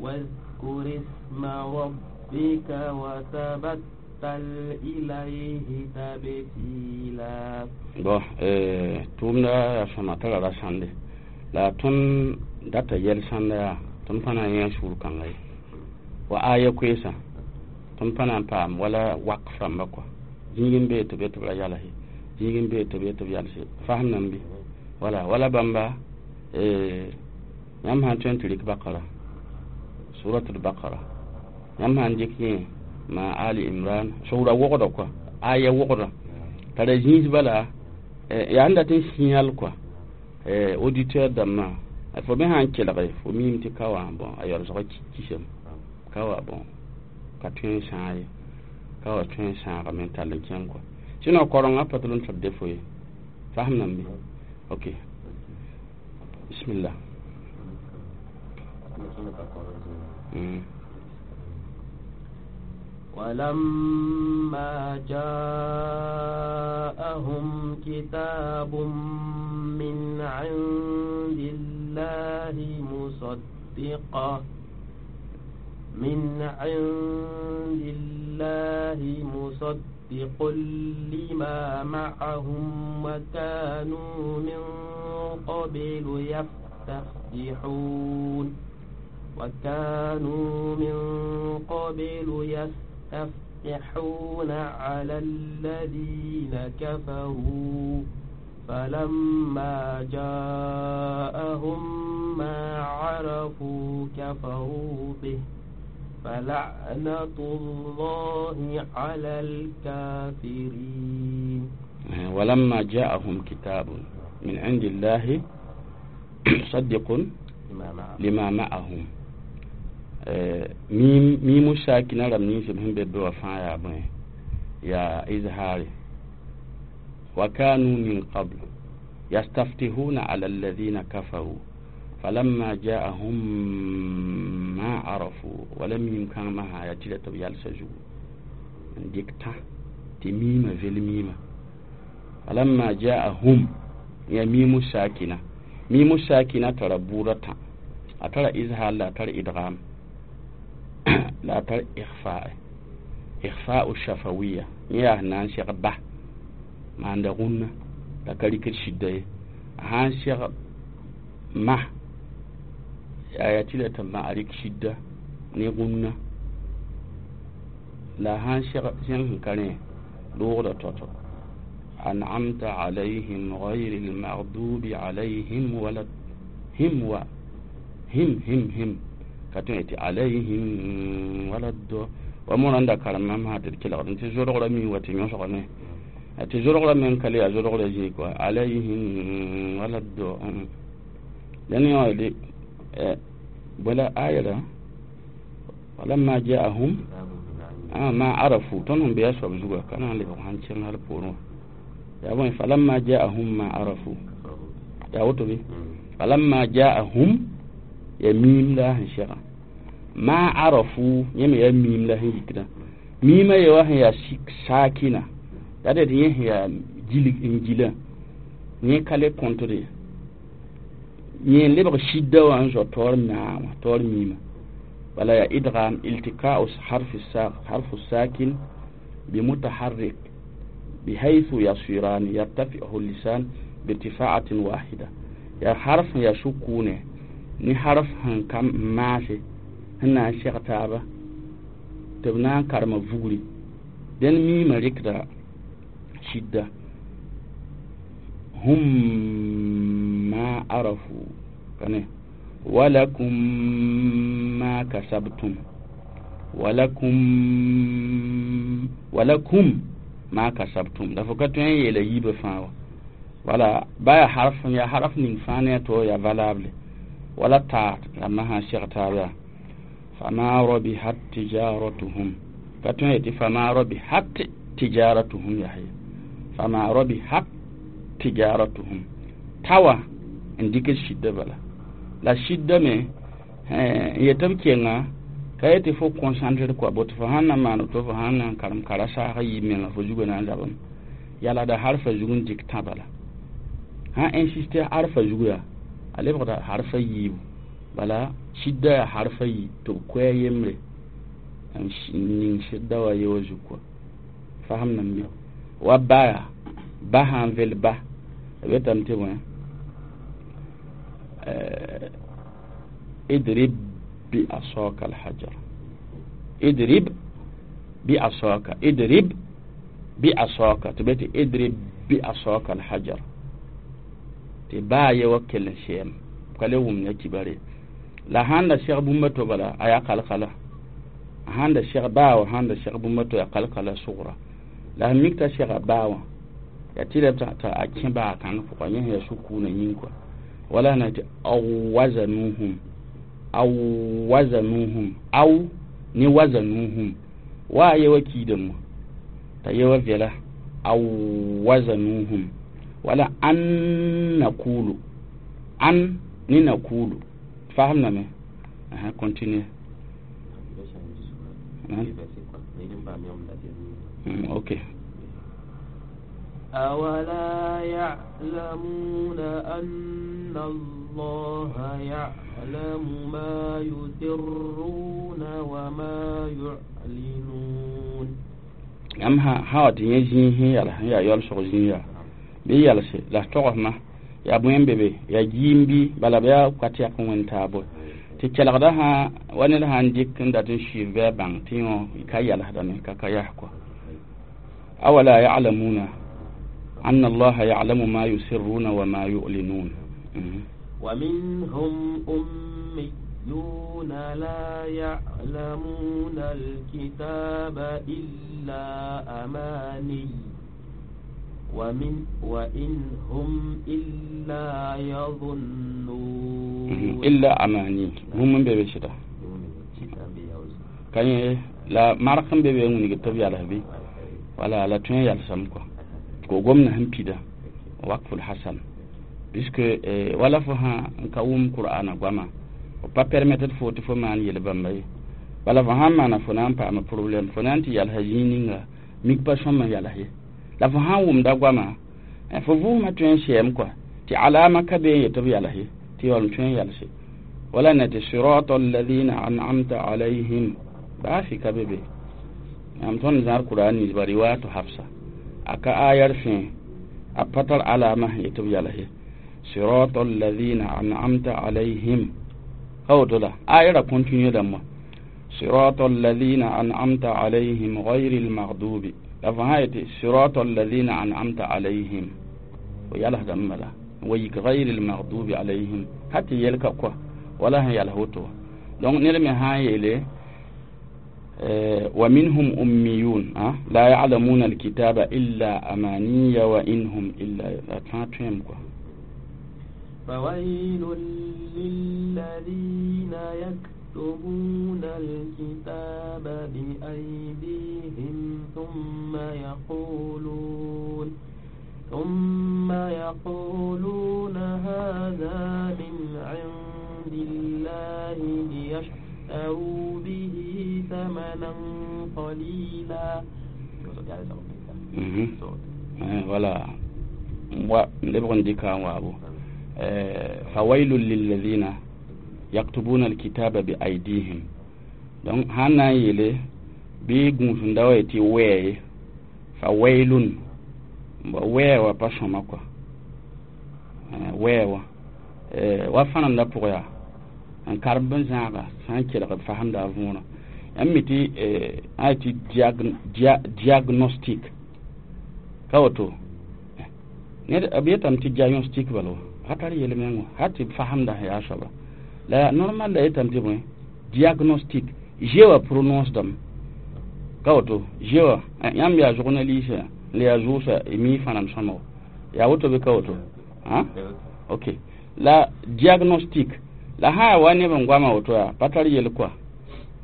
واذكر اسم ربك وتبتل إليه تبتيلا bon tʋʋmda yaa sõma tara ra sãnde la tõnd data yɛl sãnda yaa tõnd pa na n yẽ sũur kãnga ye wa aya koeesã tõnd pa na n paam wala wak rãmba kɔa zĩig n bee tɩ b tɩ b ra yalse zĩig n bee tɩ b tɩ b yalse fasem nan bɩ wala wala bãmba yãmb sãn tõe n tɩ rɩk bakara suratul bakara yãmb sãn dɩk yẽ ma ali imran sʋgra wogda kɔa aya wogda tara zĩis bala yaa n dat n sĩyal kɔa auditeur dãmbã fo me sãn kelge fo miime tɩ ka wã bon a yaoolsgã kisame ka wa bon ka tõe n sãag ye ka wa tõe n sãagame n tall n kẽng kɔa sinon korengã pa tɩ l n tɩ defo ye fasem nan bɩ ok bismillah. ولما جاءهم كتاب من عند الله مصدقا من عند الله مصدق لما معهم وكانوا من قبل يستفتحون وكانوا من قبل يستفتحون على الذين كفروا فلما جاءهم ما عرفوا كفروا به فلعنة الله على الكافرين. ولما جاءهم كتاب من عند الله مصدق لما معهم. Mimu sakina rãmb nins b sẽn be be wã fãa yaa bõe yaa izhaare wa kanu min qabl yastaftihuna ala alladhina kafaru falamma ja'ahum ma arafu wala mim kãng masã yaa tɩla tɩ b yalsa zugu n dɩk tã tɩ miimã vel miimã falamma ja'ahum ya mimu sakina mimu sakina tara buudã tã a tara izhar la a tar idgam la a tar ikhfa ikhfa'u shafawiya yẽ yaa sẽn na n seg ba maanda rũnna la ka rɩkd sɩda ye a sã n seg ma yaa tɩ la tɩ ma a rɩk sɩda ne rũnna la a sã n seg zẽng sẽn ka rẽ loogda tao-tao an'amta alayhim غayr almaghdubi alayhim wala him wa him him him ka tõe tɩ alayhim wala do wa morãnda karem mam sã tɩ d kelgd tɩ zodgrã mi wa tɩ yõsgame tɩ zodgrã meng ka le yaa zodgrã zĩig kɔa alayhim wala do dẽn yã bõe la ayra walamma jaahum ma arafu tõnd sẽn be a soab zuga ka na n lebg sãn kẽng hal poorẽ wã yaa bõe falamma jaahum ma arafu yaa woto bɩ falamma jaahum ya miim la sẽn sɛga ma arafu yẽ me yaa miim la sẽn yikdã miimã ye wa sẽn yaa saakina la d yẽ sẽn yaa gilg n gilã yẽ ka le kõtd ye yẽ lebg sɩda wã n zao taoor maa wã taoor miimã bala yaa idgam iltikau harfu sakin bimutaharrik بحيث يصيران يرتفعه اللسان بارتفاعة واحدة يا حرف يا سكون ni harf sẽn ka maase sẽn na n seg taaba tɩ b na n karema vugri dẽn miimã rɩkda sɩda hum ma arafu kane walakum ma kasabtum walakum walakum ma kasabtum la fo ka tõe n yeela yiibã fãa wa wala ba yaa harf yaa harf ning fãa ne a to yaa valable wala taa rãmbã sã n seg taab yaa fama rabihat tijaratuhum ka tõe yetɩ fama rabihat tijaratuhum yaa ye fama rabihat tijaratuhum tawa n dɩk sɩda bala la sɩda me n yetɩ b kenga ka yetɩ fo concentre kɔa boto fo sãn na n maan to fo sãn na n karem kara saasã yiib menga fo zugã na n zabame yalada harfa zug n dɩk tã bala sãn insiste harfa zug yaa a lebgda harfa yiibu bala sɩda yaa harfa yi tɩ b koɛɛ yembre n ning sɩda wa ye wa zug kɔa fasem nam bɩ wa ba yaa ba sã n vel ba b yetame tɩ bõe idrib bi asaka alhajar idrib bi asaka idrib bi asaka tɩ be tɩ idrib bi asaka alhajar tɩ baa ye wa kell n sɛɛm ka le wʋm ya kibare la sãn da seg bũmba to bala a yaa kalkala sãn da seg baa wã sãn da seg bũmba to yaa kalkala sugra la sẽn mik t'a sega baa wã yaa tɩ la t'a a kẽ baa kãng pʋga yẽ sẽn yaa sukuna yĩng kɔa wala na tɩ aw wazanuhum aw wazanuhum aw ne wazanuhum wa a ye wa kiidame wã t'a ye wa vɛla aw wazanuhum wala an nakulu an ni nakulu fahamname aha continue. Ok. أولا يعلمون أن الله يعلم ما يسرون وما يعلنون yãmb sã wa tɩ yẽ zĩig sẽn yals sẽn yaa yaoolsg zĩig yaa bɩ yalse la togsmã yaa bõe n be be yaa giim bɩ bala b yaa ka tɛk n wẽnd taabo tɩ kelgda sã wa ned sã n dɩk n dat n suiif bɩ a bãng tɩ yõ ka yalsdame ka ka yas kɔa awala yalamuna anna allaha yalamu ma yusirruna wa ma yu'linun. ومنهم أميون لا يعلمون الكتاب إلا أماني وإن هم إلا يظنون. إلا أماني هم من بيبشرة. Ka yẽ la mark n be be n wilg tɩ b yals bɩ wala la tõe n yalsame kɔa ko gomdã sẽn pida wakful hasan puisque wala fo sã n ka wʋm qur'ana goama f pa permettre fo tɩ fo maan yel bãmba ye bala fo sãn maana fo na n paama problème fo na n tɩ yalsa zĩig ninga mik pa sõm n yals ye la fo sãn wʋmda goama fo vʋʋsmã tõe n sɛɛm kɔa tɩ alama ka be n yetɩ b yals ye tɩ yaool n tõe n yalse wala na tɩ sirata alladhina an'amta alayhim baa fɩ ka be be yãmb tõnd zãad qur'an ninsba riwayatu hafsa a ka ayar fẽe a pa tar alama sẽn yetɩ b yals ye sirata alladhina an'amta alayhim ka woto la ayara continue dãmba sirata alladhina an'amta alayhim ghayri almaghdubi la fo sã yetɩ sirata alladhina an'amta alayhim fo yalsdame bala wa yik ghayri almaghdubi alayhim ha tɩ yelka koa wala sẽn yals woto donc ned me sã n yeele wa minhum ummiyun la ya'lamuna alkitaba illa amaniya wa in hum illa la tã tõem koa فويل للذين يكتبون الكتاب بأيديهم ثم يقولون هذا من عند الله ليشتروا به ثمنا قليلا. Voilà. Wa lebg n dɩka n waabo فويل للذين يكتبون الكتاب بأيديهم donc sãn na n yeele bɩ gũusenda wa yetɩ wɛɛ ye fawailun wɛɛ wã pa sõma kɔa wɛɛ wã wa fãnemdã pʋgã yaa n karem bɩ zãaga sã n kelg b fasemda a võorã yãmb mi tɩ a yetɩ diagnostic ka woto ned b yetame tɩ diagnostic bala wa ka tar yel-meng wã ha tɩ b fasemda sẽn yaa soaba la normal la yetame tɩ bõe diagnostic g wã prononce dame ka woto g wã yãmb yaa journaliste la yaa zʋʋsa mi fãnem sõma yaa woto bɩ ka woto ok la diagnostic la sã yaa wa neb n goama woto yaa pa tar yel kɔa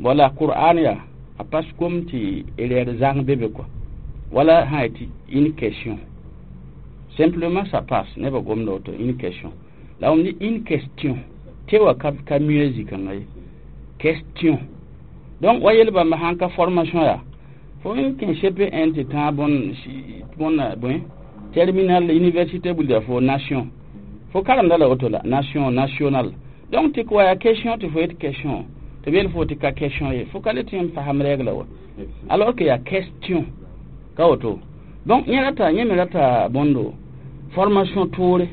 wala qur'an yaa a pas kom tɩ erreur zãng be be kɔa wala sã yetɩ une question simplement ça passe nebã gomda woto une question la wʋm une question tɩ wa ka mieux zĩ-kãngã ye question donc wa yel bãmba sãn ka formation yaa fo n kẽ CP1 tɩ tãag bõn bõe terminal université wilda fo nation fo karemda la woto la nation national donc tɩ wa yaa question tɩ fo yet question tɩ b yel fo tɩ ka question ye fo ka le tɩ n fasem rɛgla wa alors que yaa question ka woto donc yẽ rata yẽ me rata bõndo formation toore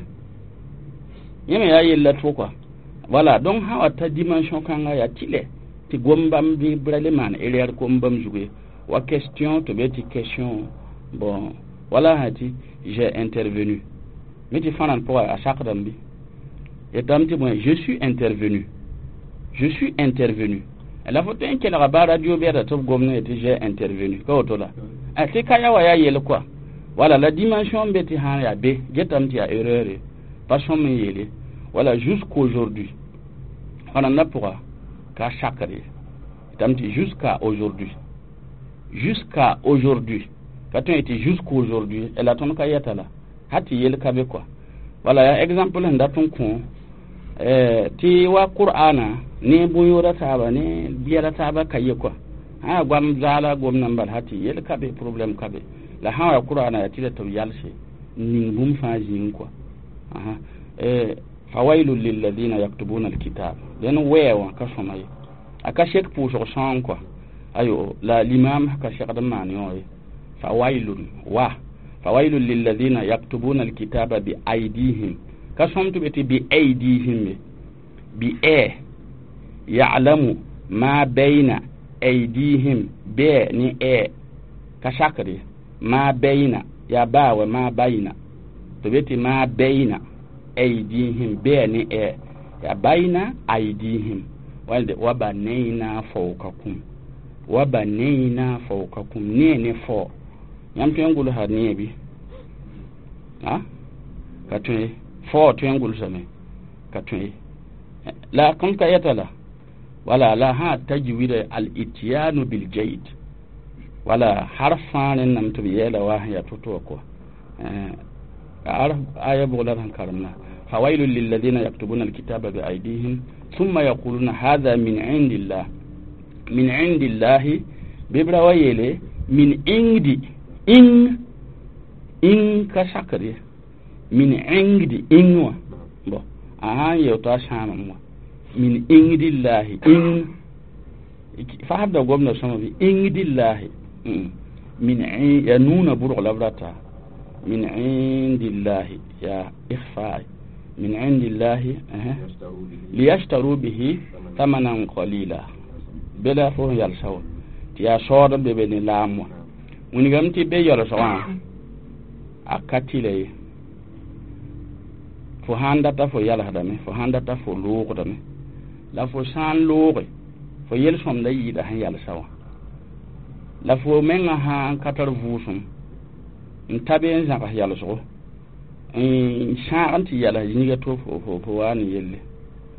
yẽ me yaa yella to kɔa voilà donc sã wa ta dimension kãnga yaa tɩlɛ tɩ gom bãmb bɩ bra le maan erreur kom bãmb zug ye wa question tɩ be tɩ question bon wala sã tɩ j'ai intervenu mi tɩ fãnan pʋga a sakdame bɩ yetame tɩ bõe je suis intervenu je suis intervenu la fo tõe n kelga ba radio bɛda tɩ b gomd yetɩ j'ai intervenu ka woto la tɩ ka ya wa yaa yel kɔa voilà la dimension be tɩ sãn yaa be getame tɩ yaa erreur ye pa sõm n yeele voilà jusqu'aujourd'hui fãnanda pʋga ka sakr ye yetame tɩ jusqu'à aujourd'hui jusqu'à aujourd'hui ka tõe tɩ jusqu'aujourd'hui la tõnd ka yɛta la ha tɩ yel ka be kɔa voilà yaa exemple sẽn dat n kõ tɩ wa qur'ana ne bõn-yooda taaba ne biɛla taaba ka ye kɔa sã yaa goam zaala gomdã n bal ha tɩ yel ka be problème ka be la sã wa qur'ana yaa tɩ la tɩ b yalse n ning bũmb fãa zĩig kɔa fawailun lilladina yaktubuna alkitab dẽn wɛɛ wã ka sõma ye a ka sek pʋʋsg sõong kɔa ayo la limam ka segd n maan yõ ye fawailun wa fawailun lilladina yaktubuna alkitaba bi aydihim ka sõm tɩ be tɩ bi aydihim ye bi ɛ ya'lamu ma bayna aydihim bɛ ne ɛ ka sakr ye ma bayna yaa baa wa ma bayna tɩ be tɩ ma bayna aydihim bɛ ne ɛ yaa bayna aydihim walde wa banayna fawqakum wa banayna fawqakum ne ne fo yãmb tõe n gʋlsa nee bɩ a ka tõe fo tõe n gʋlsame ka tõe la kõm ka yɛta la Wala la ha tajwida al ityanu bil jayd wala harf fãa rẽnnam tɩ b yɛɛla wa sẽn yaa to-to wã kɔa arf aya bʋg la d sẽn karemna fawailun lilladina yaktubuna alkitaba biaydihim thumma yaquluna hadha min indillah min indillahi bɩ b ra wa yeele min ingdi ing ing ka sakd ye min ingdi ing wã bõ a sã n yeo t'a sãamame wã min indillahi ing fasda gomda sõma bɩ indillahi min ya nuuna bʋrg la b rata min indillahi ya ikhfa min indillahi liyashtaru bihi thamanan qalila bela fo yalsa wa tɩ yaa sood n be be ne laam wã wilgame tɩ be yalsg wã a ka tɩla ye fo sãn data fo yalsdame fo sãn data fo loogdame la fo sã n looge fo yel-sõmda yɩɩda sẽn yalsa wã la fo menga sã n ka tar vʋʋsem n ta be n zãgs yalsgo n sãag n tɩ yals zĩiga to fo waa ne yelle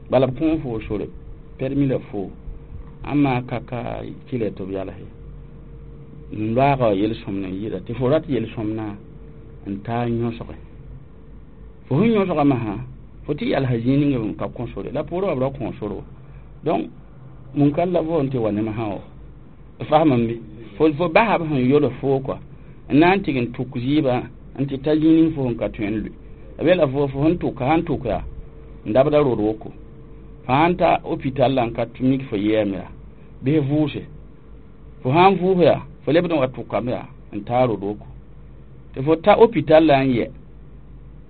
bala b kõ fo sore permis la fo ãmma ka ka tɩla tɩ b yals ye n loaaga yel-sõmd n yɩɩda tɩ fo rat yel-sõmdã n taa yõsge fo sẽn yõsga masã fo tɩ yalsa zĩig ninga n ka kõ sore la poorẽ wã b ra kõ sore wa donc munkar la vo n tɩ wa ne masã wa fasmame bɩ fo basa b sẽn yols foo kɔa n na n tɩg n tʋk zɩɩbã n tɩ ta zĩig ning fo sẽn ka tõe n lʋɩ b yeela fo fo sẽn tʋka sãn tʋk yaa n dabda rod woko fo sãn ta hôpital la n ka mik fo yɛɛm yaa bɩ vʋʋse fo sãn vʋʋs yaa fo lebd n wa tʋkame yaa n taa rod woko tɩ fo ta hôpital la n yɛ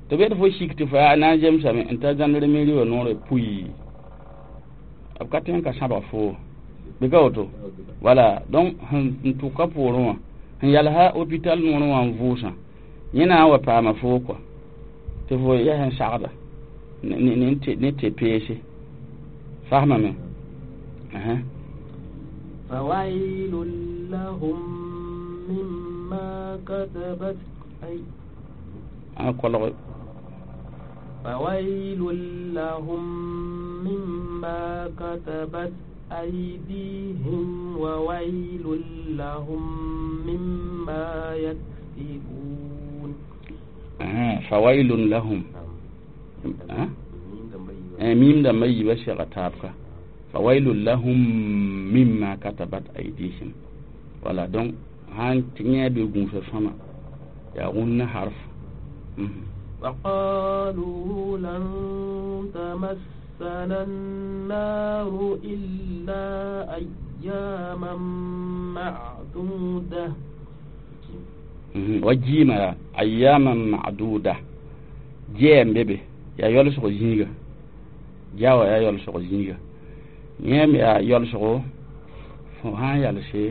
tɩ b yet fo sik tɩ fo yaa na n zemsame n ta zãndremeri wã noorã pui b ka tõe n ka sãbg foo bɩ ka woto wala donc sẽn tʋka poorẽ wã sẽn yalsa hôpital noorẽ wã n vʋʋsã yẽ na n wa paama foo kɔa tɩ fo yaa sẽn sagda ne tɩ peese fasmame فويل لهم مما كتبت أي kolg فويل لهم مما كتبت أيديهم وويل لهم مما يكسبون فويل لهم ميم دم يبا شيغا تابكا فويل لهم مما كتبت أيديهم voilà donc han tiŋɛ bɩ gũusã sõma yaa wũnna harf وقالوا لن تمسنا النار إلا أياما معدودة wa jiima ayyaman ma'duda jɛɛm be be yaa yolsg zĩiga jawa yaa yolsg zĩiga yẽem yaa yolsgo fo sãn yalse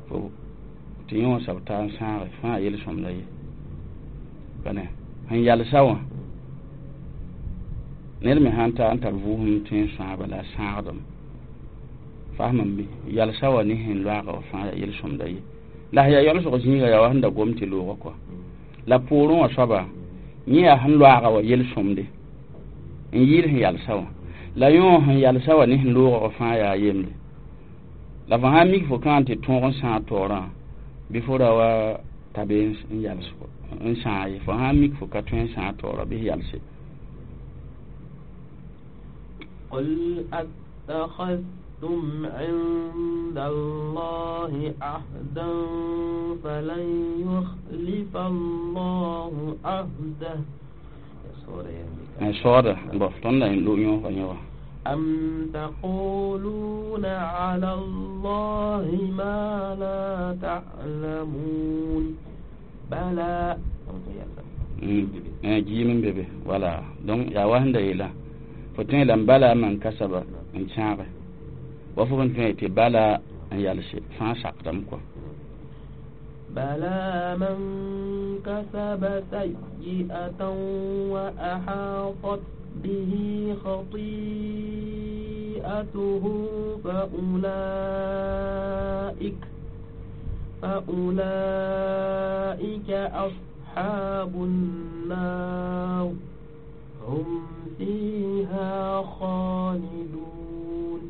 fo tɩ yẽ wã sab taa n sãage fãa yel-sõmda ye bane sẽn yalsa wã ned me sãn ta n tar vʋʋsem tõe n sãaba la a sãagdame fasmame bɩ yalsa wã ne sẽn loaaga wã fãa yaa yel-sõmda ye la sẽn yaa yolsg zĩiga yaa wa sẽn da gom tɩ loogã kɔa la poorẽ wã soaba yẽ yaa sẽn loaaga wã yel-sõmde n yɩɩd sẽn yalsa wã la yõ sẽn yalsa wã ne sẽn loogã wã fãa yaa yemde la fo sãn mik fo kãan tɩ tõog n sãag taoorã bɩ fo ra wa ta be n yals n sãag ye fo sãn mik fo ka tõe n sãag taoorã bɩ yalse قل أتخذتم عند الله عهدا فلن يخلف الله عهده soda bon tõnd la lo yõ yõ wã أم تقولون على الله ما لا تعلمون بلى jiim n be be wala donc yaa wa sẽn da yeela fo tõe la n bala man kasaba n sãage wa fo sẽn tõe tɩ bala n yalse fãa sakdame kɔa بلى من كسب سيئة وأحاطت به خطيئته فأولئك أصحاب النار هم فيها خالدون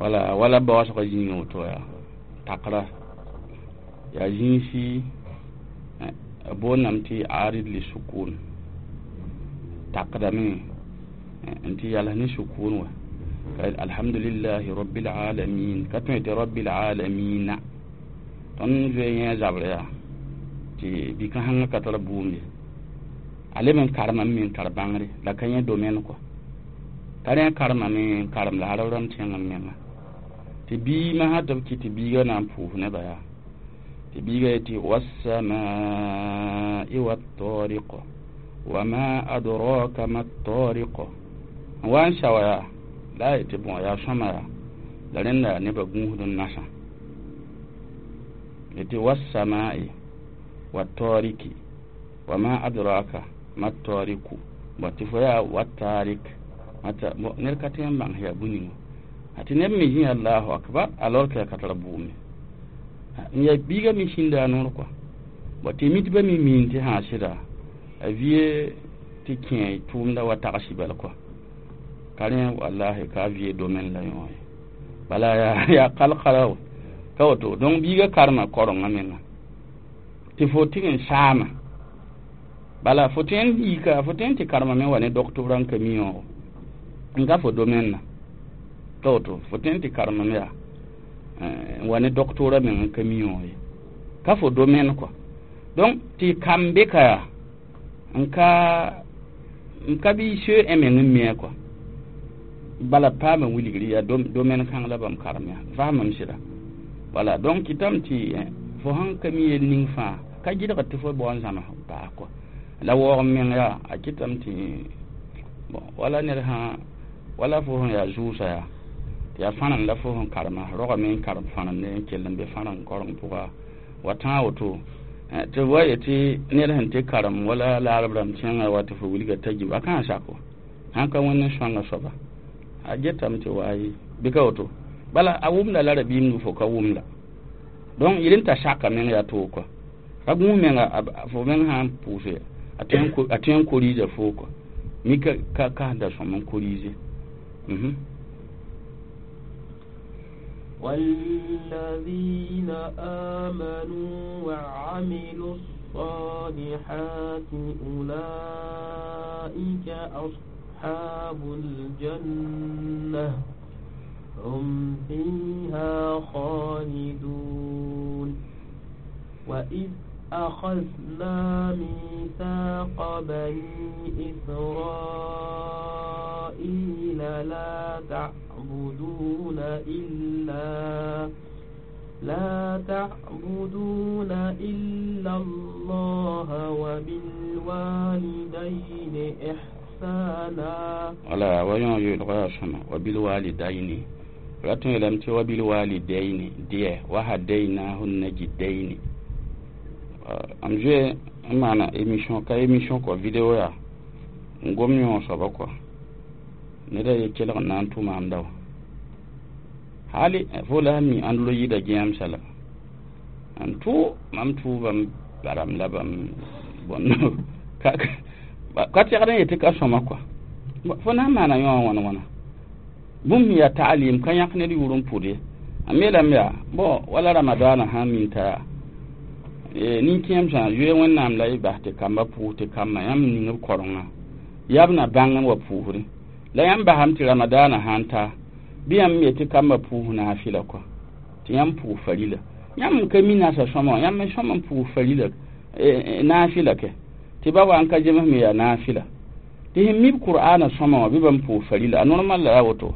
Wala wala baoosgã zĩigã woto yaa takra yaa zĩisi b boondame tɩ arid li sukun takdame n tɩ yals ne sukun wã alhamdulillahi rabbil alamin ka tõe tɩ rabbil alamina tõnd zoe yẽ zabr yaa tɩ bi-kãsengã ka tar bʋʋm ye a leb n karemame me n tar bãngre la ka yẽ domaine kɔ ka rẽ karemame n karem la arab rãmb tẽng n menga tɩ biimã sã tɩ b kɩ tɩ biiga na n pʋʋs nebã yaa tɩ biiga yetɩ wassamai wattariq wama adraka ma tariq n wa n sawa yaa la a yetɩ bõ yaa sõma yaa la rẽnda yaa nebã gũusd n nasã yetɩ wassamai wattariki wama adraka ma tariku bõ tɩ fo yaa wattarik mata ned ka tõe n bãng yaa bũ-ninga a tɩ neb me zĩ allahu akbar alors que a ka tar bʋʋme n yaa biiga me sĩnda a noor kɔa bõ tɩ mitbã me miin tɩ sã sɩda a vie tɩ kẽ tʋʋmda wa tagsi bal kɔa ka rẽ wallahi ka vie domaine la yõ ye bala yaa kalkala wa ka woto donc biiga karema korengã menga tɩ fo tɩg n saama bala fo tõe n yika fo tõe n tɩ karema me wa ne doctorat n ka mi yõogo n ka fo domaine na ka woto fo tõe n tɩ karema me yaa n wa ne doctorat meng n ka mi yõog ye ka fo domaine kɔa donc tɩ kam be ka yaa n ka bɩ soe ẽ meng n mia kɔa bala paama wilgri yaa domaine kãng la bãmb karem yaa faamam sɩda wala donc kɩtame tɩ fo sãn ka mi yel ning fãa ka gɩdgd tɩ fo bao n zãms baas kɔa la waoog meng yaa a kɩtame tɩ bon wala ned sã wala fo sẽn yaa zʋʋsa yaa tɩ yaa fãnem la fo sẽn karema rogame n karem fãnemde n kell n be fãnem koreng pʋga wa tãag woto tɩ wa yetɩ ned sẽn tɩ karem wala laarb rãmb tẽngã wa tɩ fo wilga t'a gib a kãn sako sãn ka wẽnd n sõanga soaba a getame tɩ waaye bɩ ka woto bala a wʋmda la rabiimdu fo ka wʋmda donc yel n ta saka meng yaa toog kɔa ka gũus menga fo meng sã n pʋʋse a tõe n koriisa foo kɔa mi ka kasda sõm n koriise والذين آمنوا وعملوا الصالحات أولئك أصحاب الجنة هم فيها خالدون وإذ أخذنا ميثاق بني إسرائيل لا تعبدون إلا الله وبالوالدين إحسانا ولا ويون يلغاشنا وبالوالدين ratun yelam tɩ wa bilwalidaini dɩɛ wa hadainahun najidaini am zoe n maana émission ka émission kɔ vidéo yaa n gom yõ soaba kɔa neda ye kelg n na n tʋ maam da wa hali fo la mi ãnd lo yɩɩda gẽamsa la n tʋ mam tʋʋbam baram la bãmb bõn ka tɛgd n yetɩ ka sõma kɔa fo na n maana yõ wã wãna wãna bũmb sẽn yaa taalim ka yãk ned yʋʋr n pʋd ye a me lame yaa bõ wala ramadaana sã n min t'a yaa nin-kẽemsã zoe wẽnnaam la y bas tɩ kamba pʋʋs tɩ kambã yãmb ning b korengã yaa b na bãng n wa pʋʋsdẽ la yãmb basame tɩ ramadaana sã n ta bɩ yãmb ye tɩ kambã pʋʋs naafɩla kɔa tɩ yãmb pʋʋs farila yãmb n ka mi nasa sõma wã yãmb n sõm n pʋʋs farila naafɩla kɛ tɩ ba wa n ka zems me yaa naafɩla tɩ sẽn mi b qur'aana sõma wã bɩ bãmb pʋʋs farila a normal la yaa woto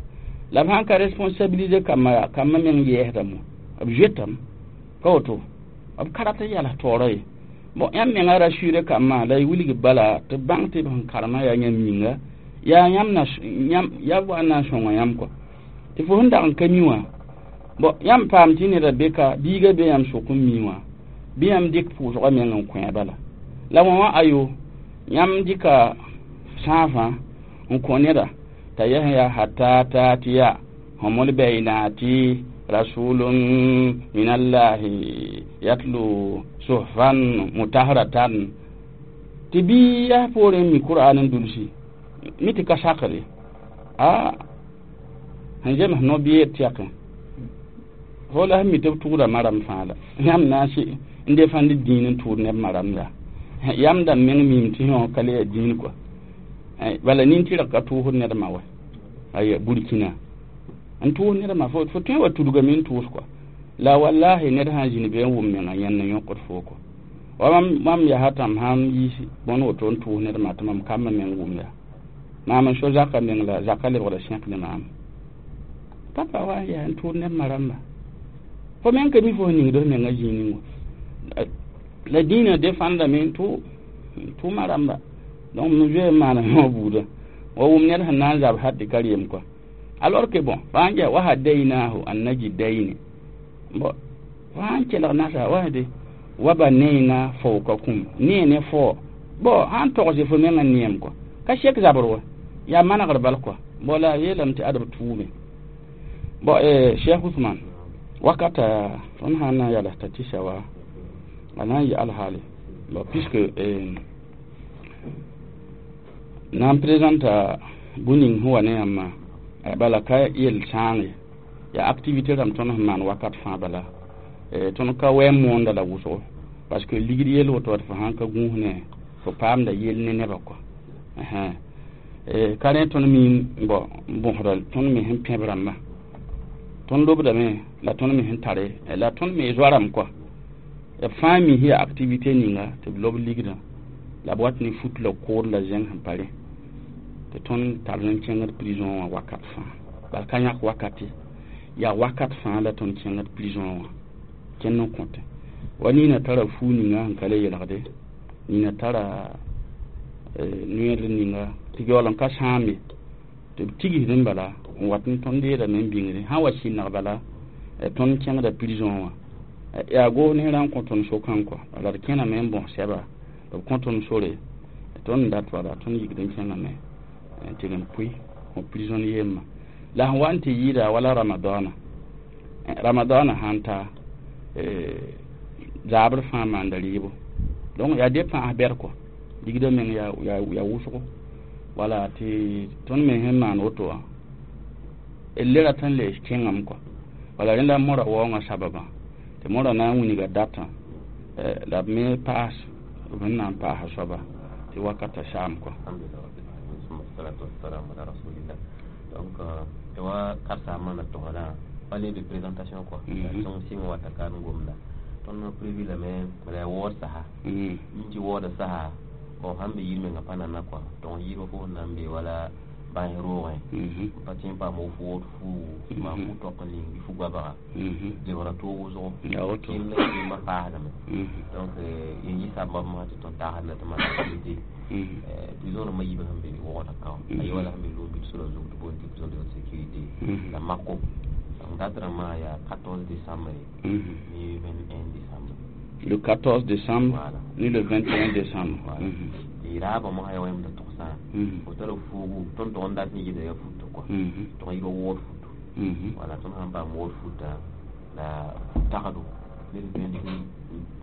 la b sãn ka responsabiliser kambã yaa kambã meng yɛɛsdame b zoetame ka woto b ka rat n yals taoora ye bon yãmb menga rassurer kambã la y wilg bala tɩ bãng tɩ b sẽn karemã yaa yãmb yĩnga yaa yãmb na yaa b wa n na n sõnga yãmb kɔa tɩ fo sẽn dag n ka mi wã bon yãmb paam tɩ neda be ka biiga be yãmb sʋk n mi wã bɩ yãmb dɩk pʋʋsgã meng n kõ bala la wã wã ayo yãmb dɩka sãafã n kõ neda t'a yɛs yaa hata tatiya humul bainati rasulun minallahi yatlu suhfan mutaharatan tɩ bɩ yaa poorẽ mi qur'an n dulsi mi tɩ ka sakre a sẽn zems no-biyeed tɛkẽ Fo la sẽn mi tɩ b tʋʋda maram fãa la yãmb na n n defãnd dĩin n tʋʋd neb maram yaa yãmb dãmb meng miime tɩ yõ ka le yaa dĩin kɔa bala nin-tɩrg ka tʋʋsd nedmã wa aya Burkina n tʋʋs nedmã fo tõe wa tudgame n tʋʋs kɔa la wallahi ned sã n zĩnd be n wʋm menga yẽnd n yõkd foo kɔ wa mam yaa tãm sãn yiis bõn woto n tʋʋs nedmã tɩ mam kambã meng wʋm yaa maam n so zaka meng la zaka lebgda sẽk ne maam papa wa n yaa n tʋʋd neb ma rãmba fo meng ka mi fo sẽn ningd f menga zĩig ning wã la dĩinã defãndame n tʋ ma rãmba donc m zoe n maana yõ buudã wa wʋm ned sẽn na n zab hat tɩ ka reem kɔa alors que bon fãa n wa hadainahu an najidayni bon fãa n kelg nasa wa de wa banayna fawqakum ne ne fo bon sãn togs fo menga neem kɔa ka sek zabr wa yaa manegr bal kɔa bon la yeelame tɩ ad b tʋʋme bon Cheikh Ousmane wakata tõnd sã n na n yals t'a tɩsa wa a na n yɩ alhaale bon puisque na n présenta bũ-ning sẽn wa ne yãmbã bala ka yel sãang ye yaa activité rãmb tõnd sẽn maan wakat fãa bala tõnd ka wɛ n moonda la wʋsgo parce que ligd yel woto wat fo sãn ka gũus ne fo paamda yel ne nebã kɔa ka rẽ tõnd mi bon bõsda tõnd me sẽn pẽb rãmbã tõnd lobdame la tõnd me sẽn tare la tõnd me zoa rãmb kɔa b fãa mi yaa activité ninga tɩ b lob ligdã la b wat ne fut la kood la zẽng sẽn pa rẽ tɩ tõnd tar n kẽngd prison wã wakat fãa bala ka yãk wakat ye yaa wakat fãa la tõnd kẽngd prison wã kẽnd n kõte wa nina tara fuu ninga sẽn ka le yelgde nina tara noer ninga tɩ yaool n ka sãam ye tɩ b tigsd n bala n wat n tõnd deedame n bĩngre sã n wa sɩneg bala tõnd kẽngda prison wã yaa goos ne rã n kõ tõnd sokã kɔa bala d kẽname n bõs sɛba b kõ tõnd sore tõnd n dat wala tõnd yikd n kẽngame n tɩg n pʋɩ kõ prison yemma la sẽn wa n tɩ yɩɩda wala ramadana ramadana sãn ta zaabr fãa maanda rɩɩbo donc yaa dépend a bɛd kɔ ligdã meng yaa wʋsgo wala tɩ tõnd me sẽn maan woto wã le rat n lees kẽngame kɔa wala rẽnda mora waoongã sababã tɩ mora na n wilga datã la b me paas b sẽn na n paasa soaba tɩ wakata saam kɔa. Donc wa karsa mana tɔgɔ wale de présentation quoi. Donc si on wata kan gomna tõnd prévu la me la wɔɔd saha n tɩ wɔɔda saha bon sãn be yir menga pa nana quoi. Donc yirba fo sẽn na n be wala bãs roogẽ pa tẽ n paam f wood fuu maa fu tɔk n ning bɩ fu goabga lebgra toog wʋsgo kẽnd la kẽemã paasdame. Donc yen yɩ sabab masã tɩ tõnd tagsd la tɩ maan activité prison rãmbã yiibã sẽn be wogda ka a ye wala sẽn be loog bɩ sora zug tɩ boond tɩ prison de haute sécurité la mako. Donc date rãmbã yaa 14 décembre ni 21 décembre. Le 14 décembre. Voilà. Ni le 21 décembre. Voilà. Tɩ raabã mosã yaa wãmda togsã fo tara fuugu tõnd tʋg n dat ne yɩda yaa futo kɔa tʋg n yɩ wood futo. Wala tõnd sãn paam wood futa la tagdo ned vẽnd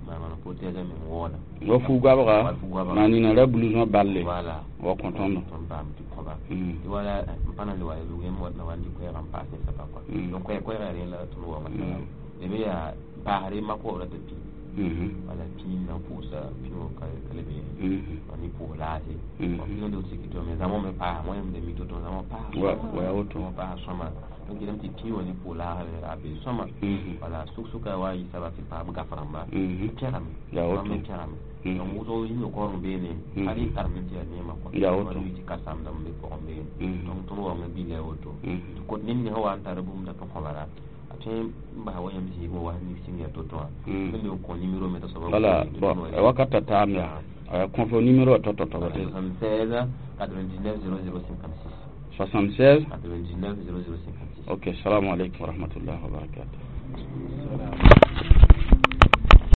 maana protège meng wooda wa fu goabga maa nina ra blouson balle. Voilà. Wa kõ tõndo tõnd paam tɩ kõba tɩ wala n pa na n le wa lugem wat na wa n dɩ koɛɛgã n paas ne saba kɔa donc koɛɛg yaa rẽ la tõnd waoongã sala leme yaa paasre mako ra tɩ pĩ wala pĩ na n pʋʋsa pĩ wã ka le be ni pʋʋs laase prison de haute sécurité me zãmõ me paasa wãyam de mi to zãmõ paasa wa woto paasa sõma donc yelame tɩ pĩ wã ne pʋʋs laasre a be sõma wala suk-suka wa yɩ saba tɩ paam gaf rãmba pẽgame me pẽgame donc wʋsg yĩnga kaooreng beene hal y tarme tɩ yaa neemã kɔa tɩ ka-samdame be pʋgẽ beene donc tõnd waoongã billa woto tɩ kot ned ning sã wa n tar bũmb dat n kõbara a tõe n basa wa yãmb zĩigẽ wa ning sɩng yaa to-to wã tõnd le n kõ numéro me t'a soaba. Wala bon wakata taam yaa kõ fo numéro to-to to 76 99 00 56. 76 99 00 56. Ok, salamu alaikum warahmatullahi wabarakatuh.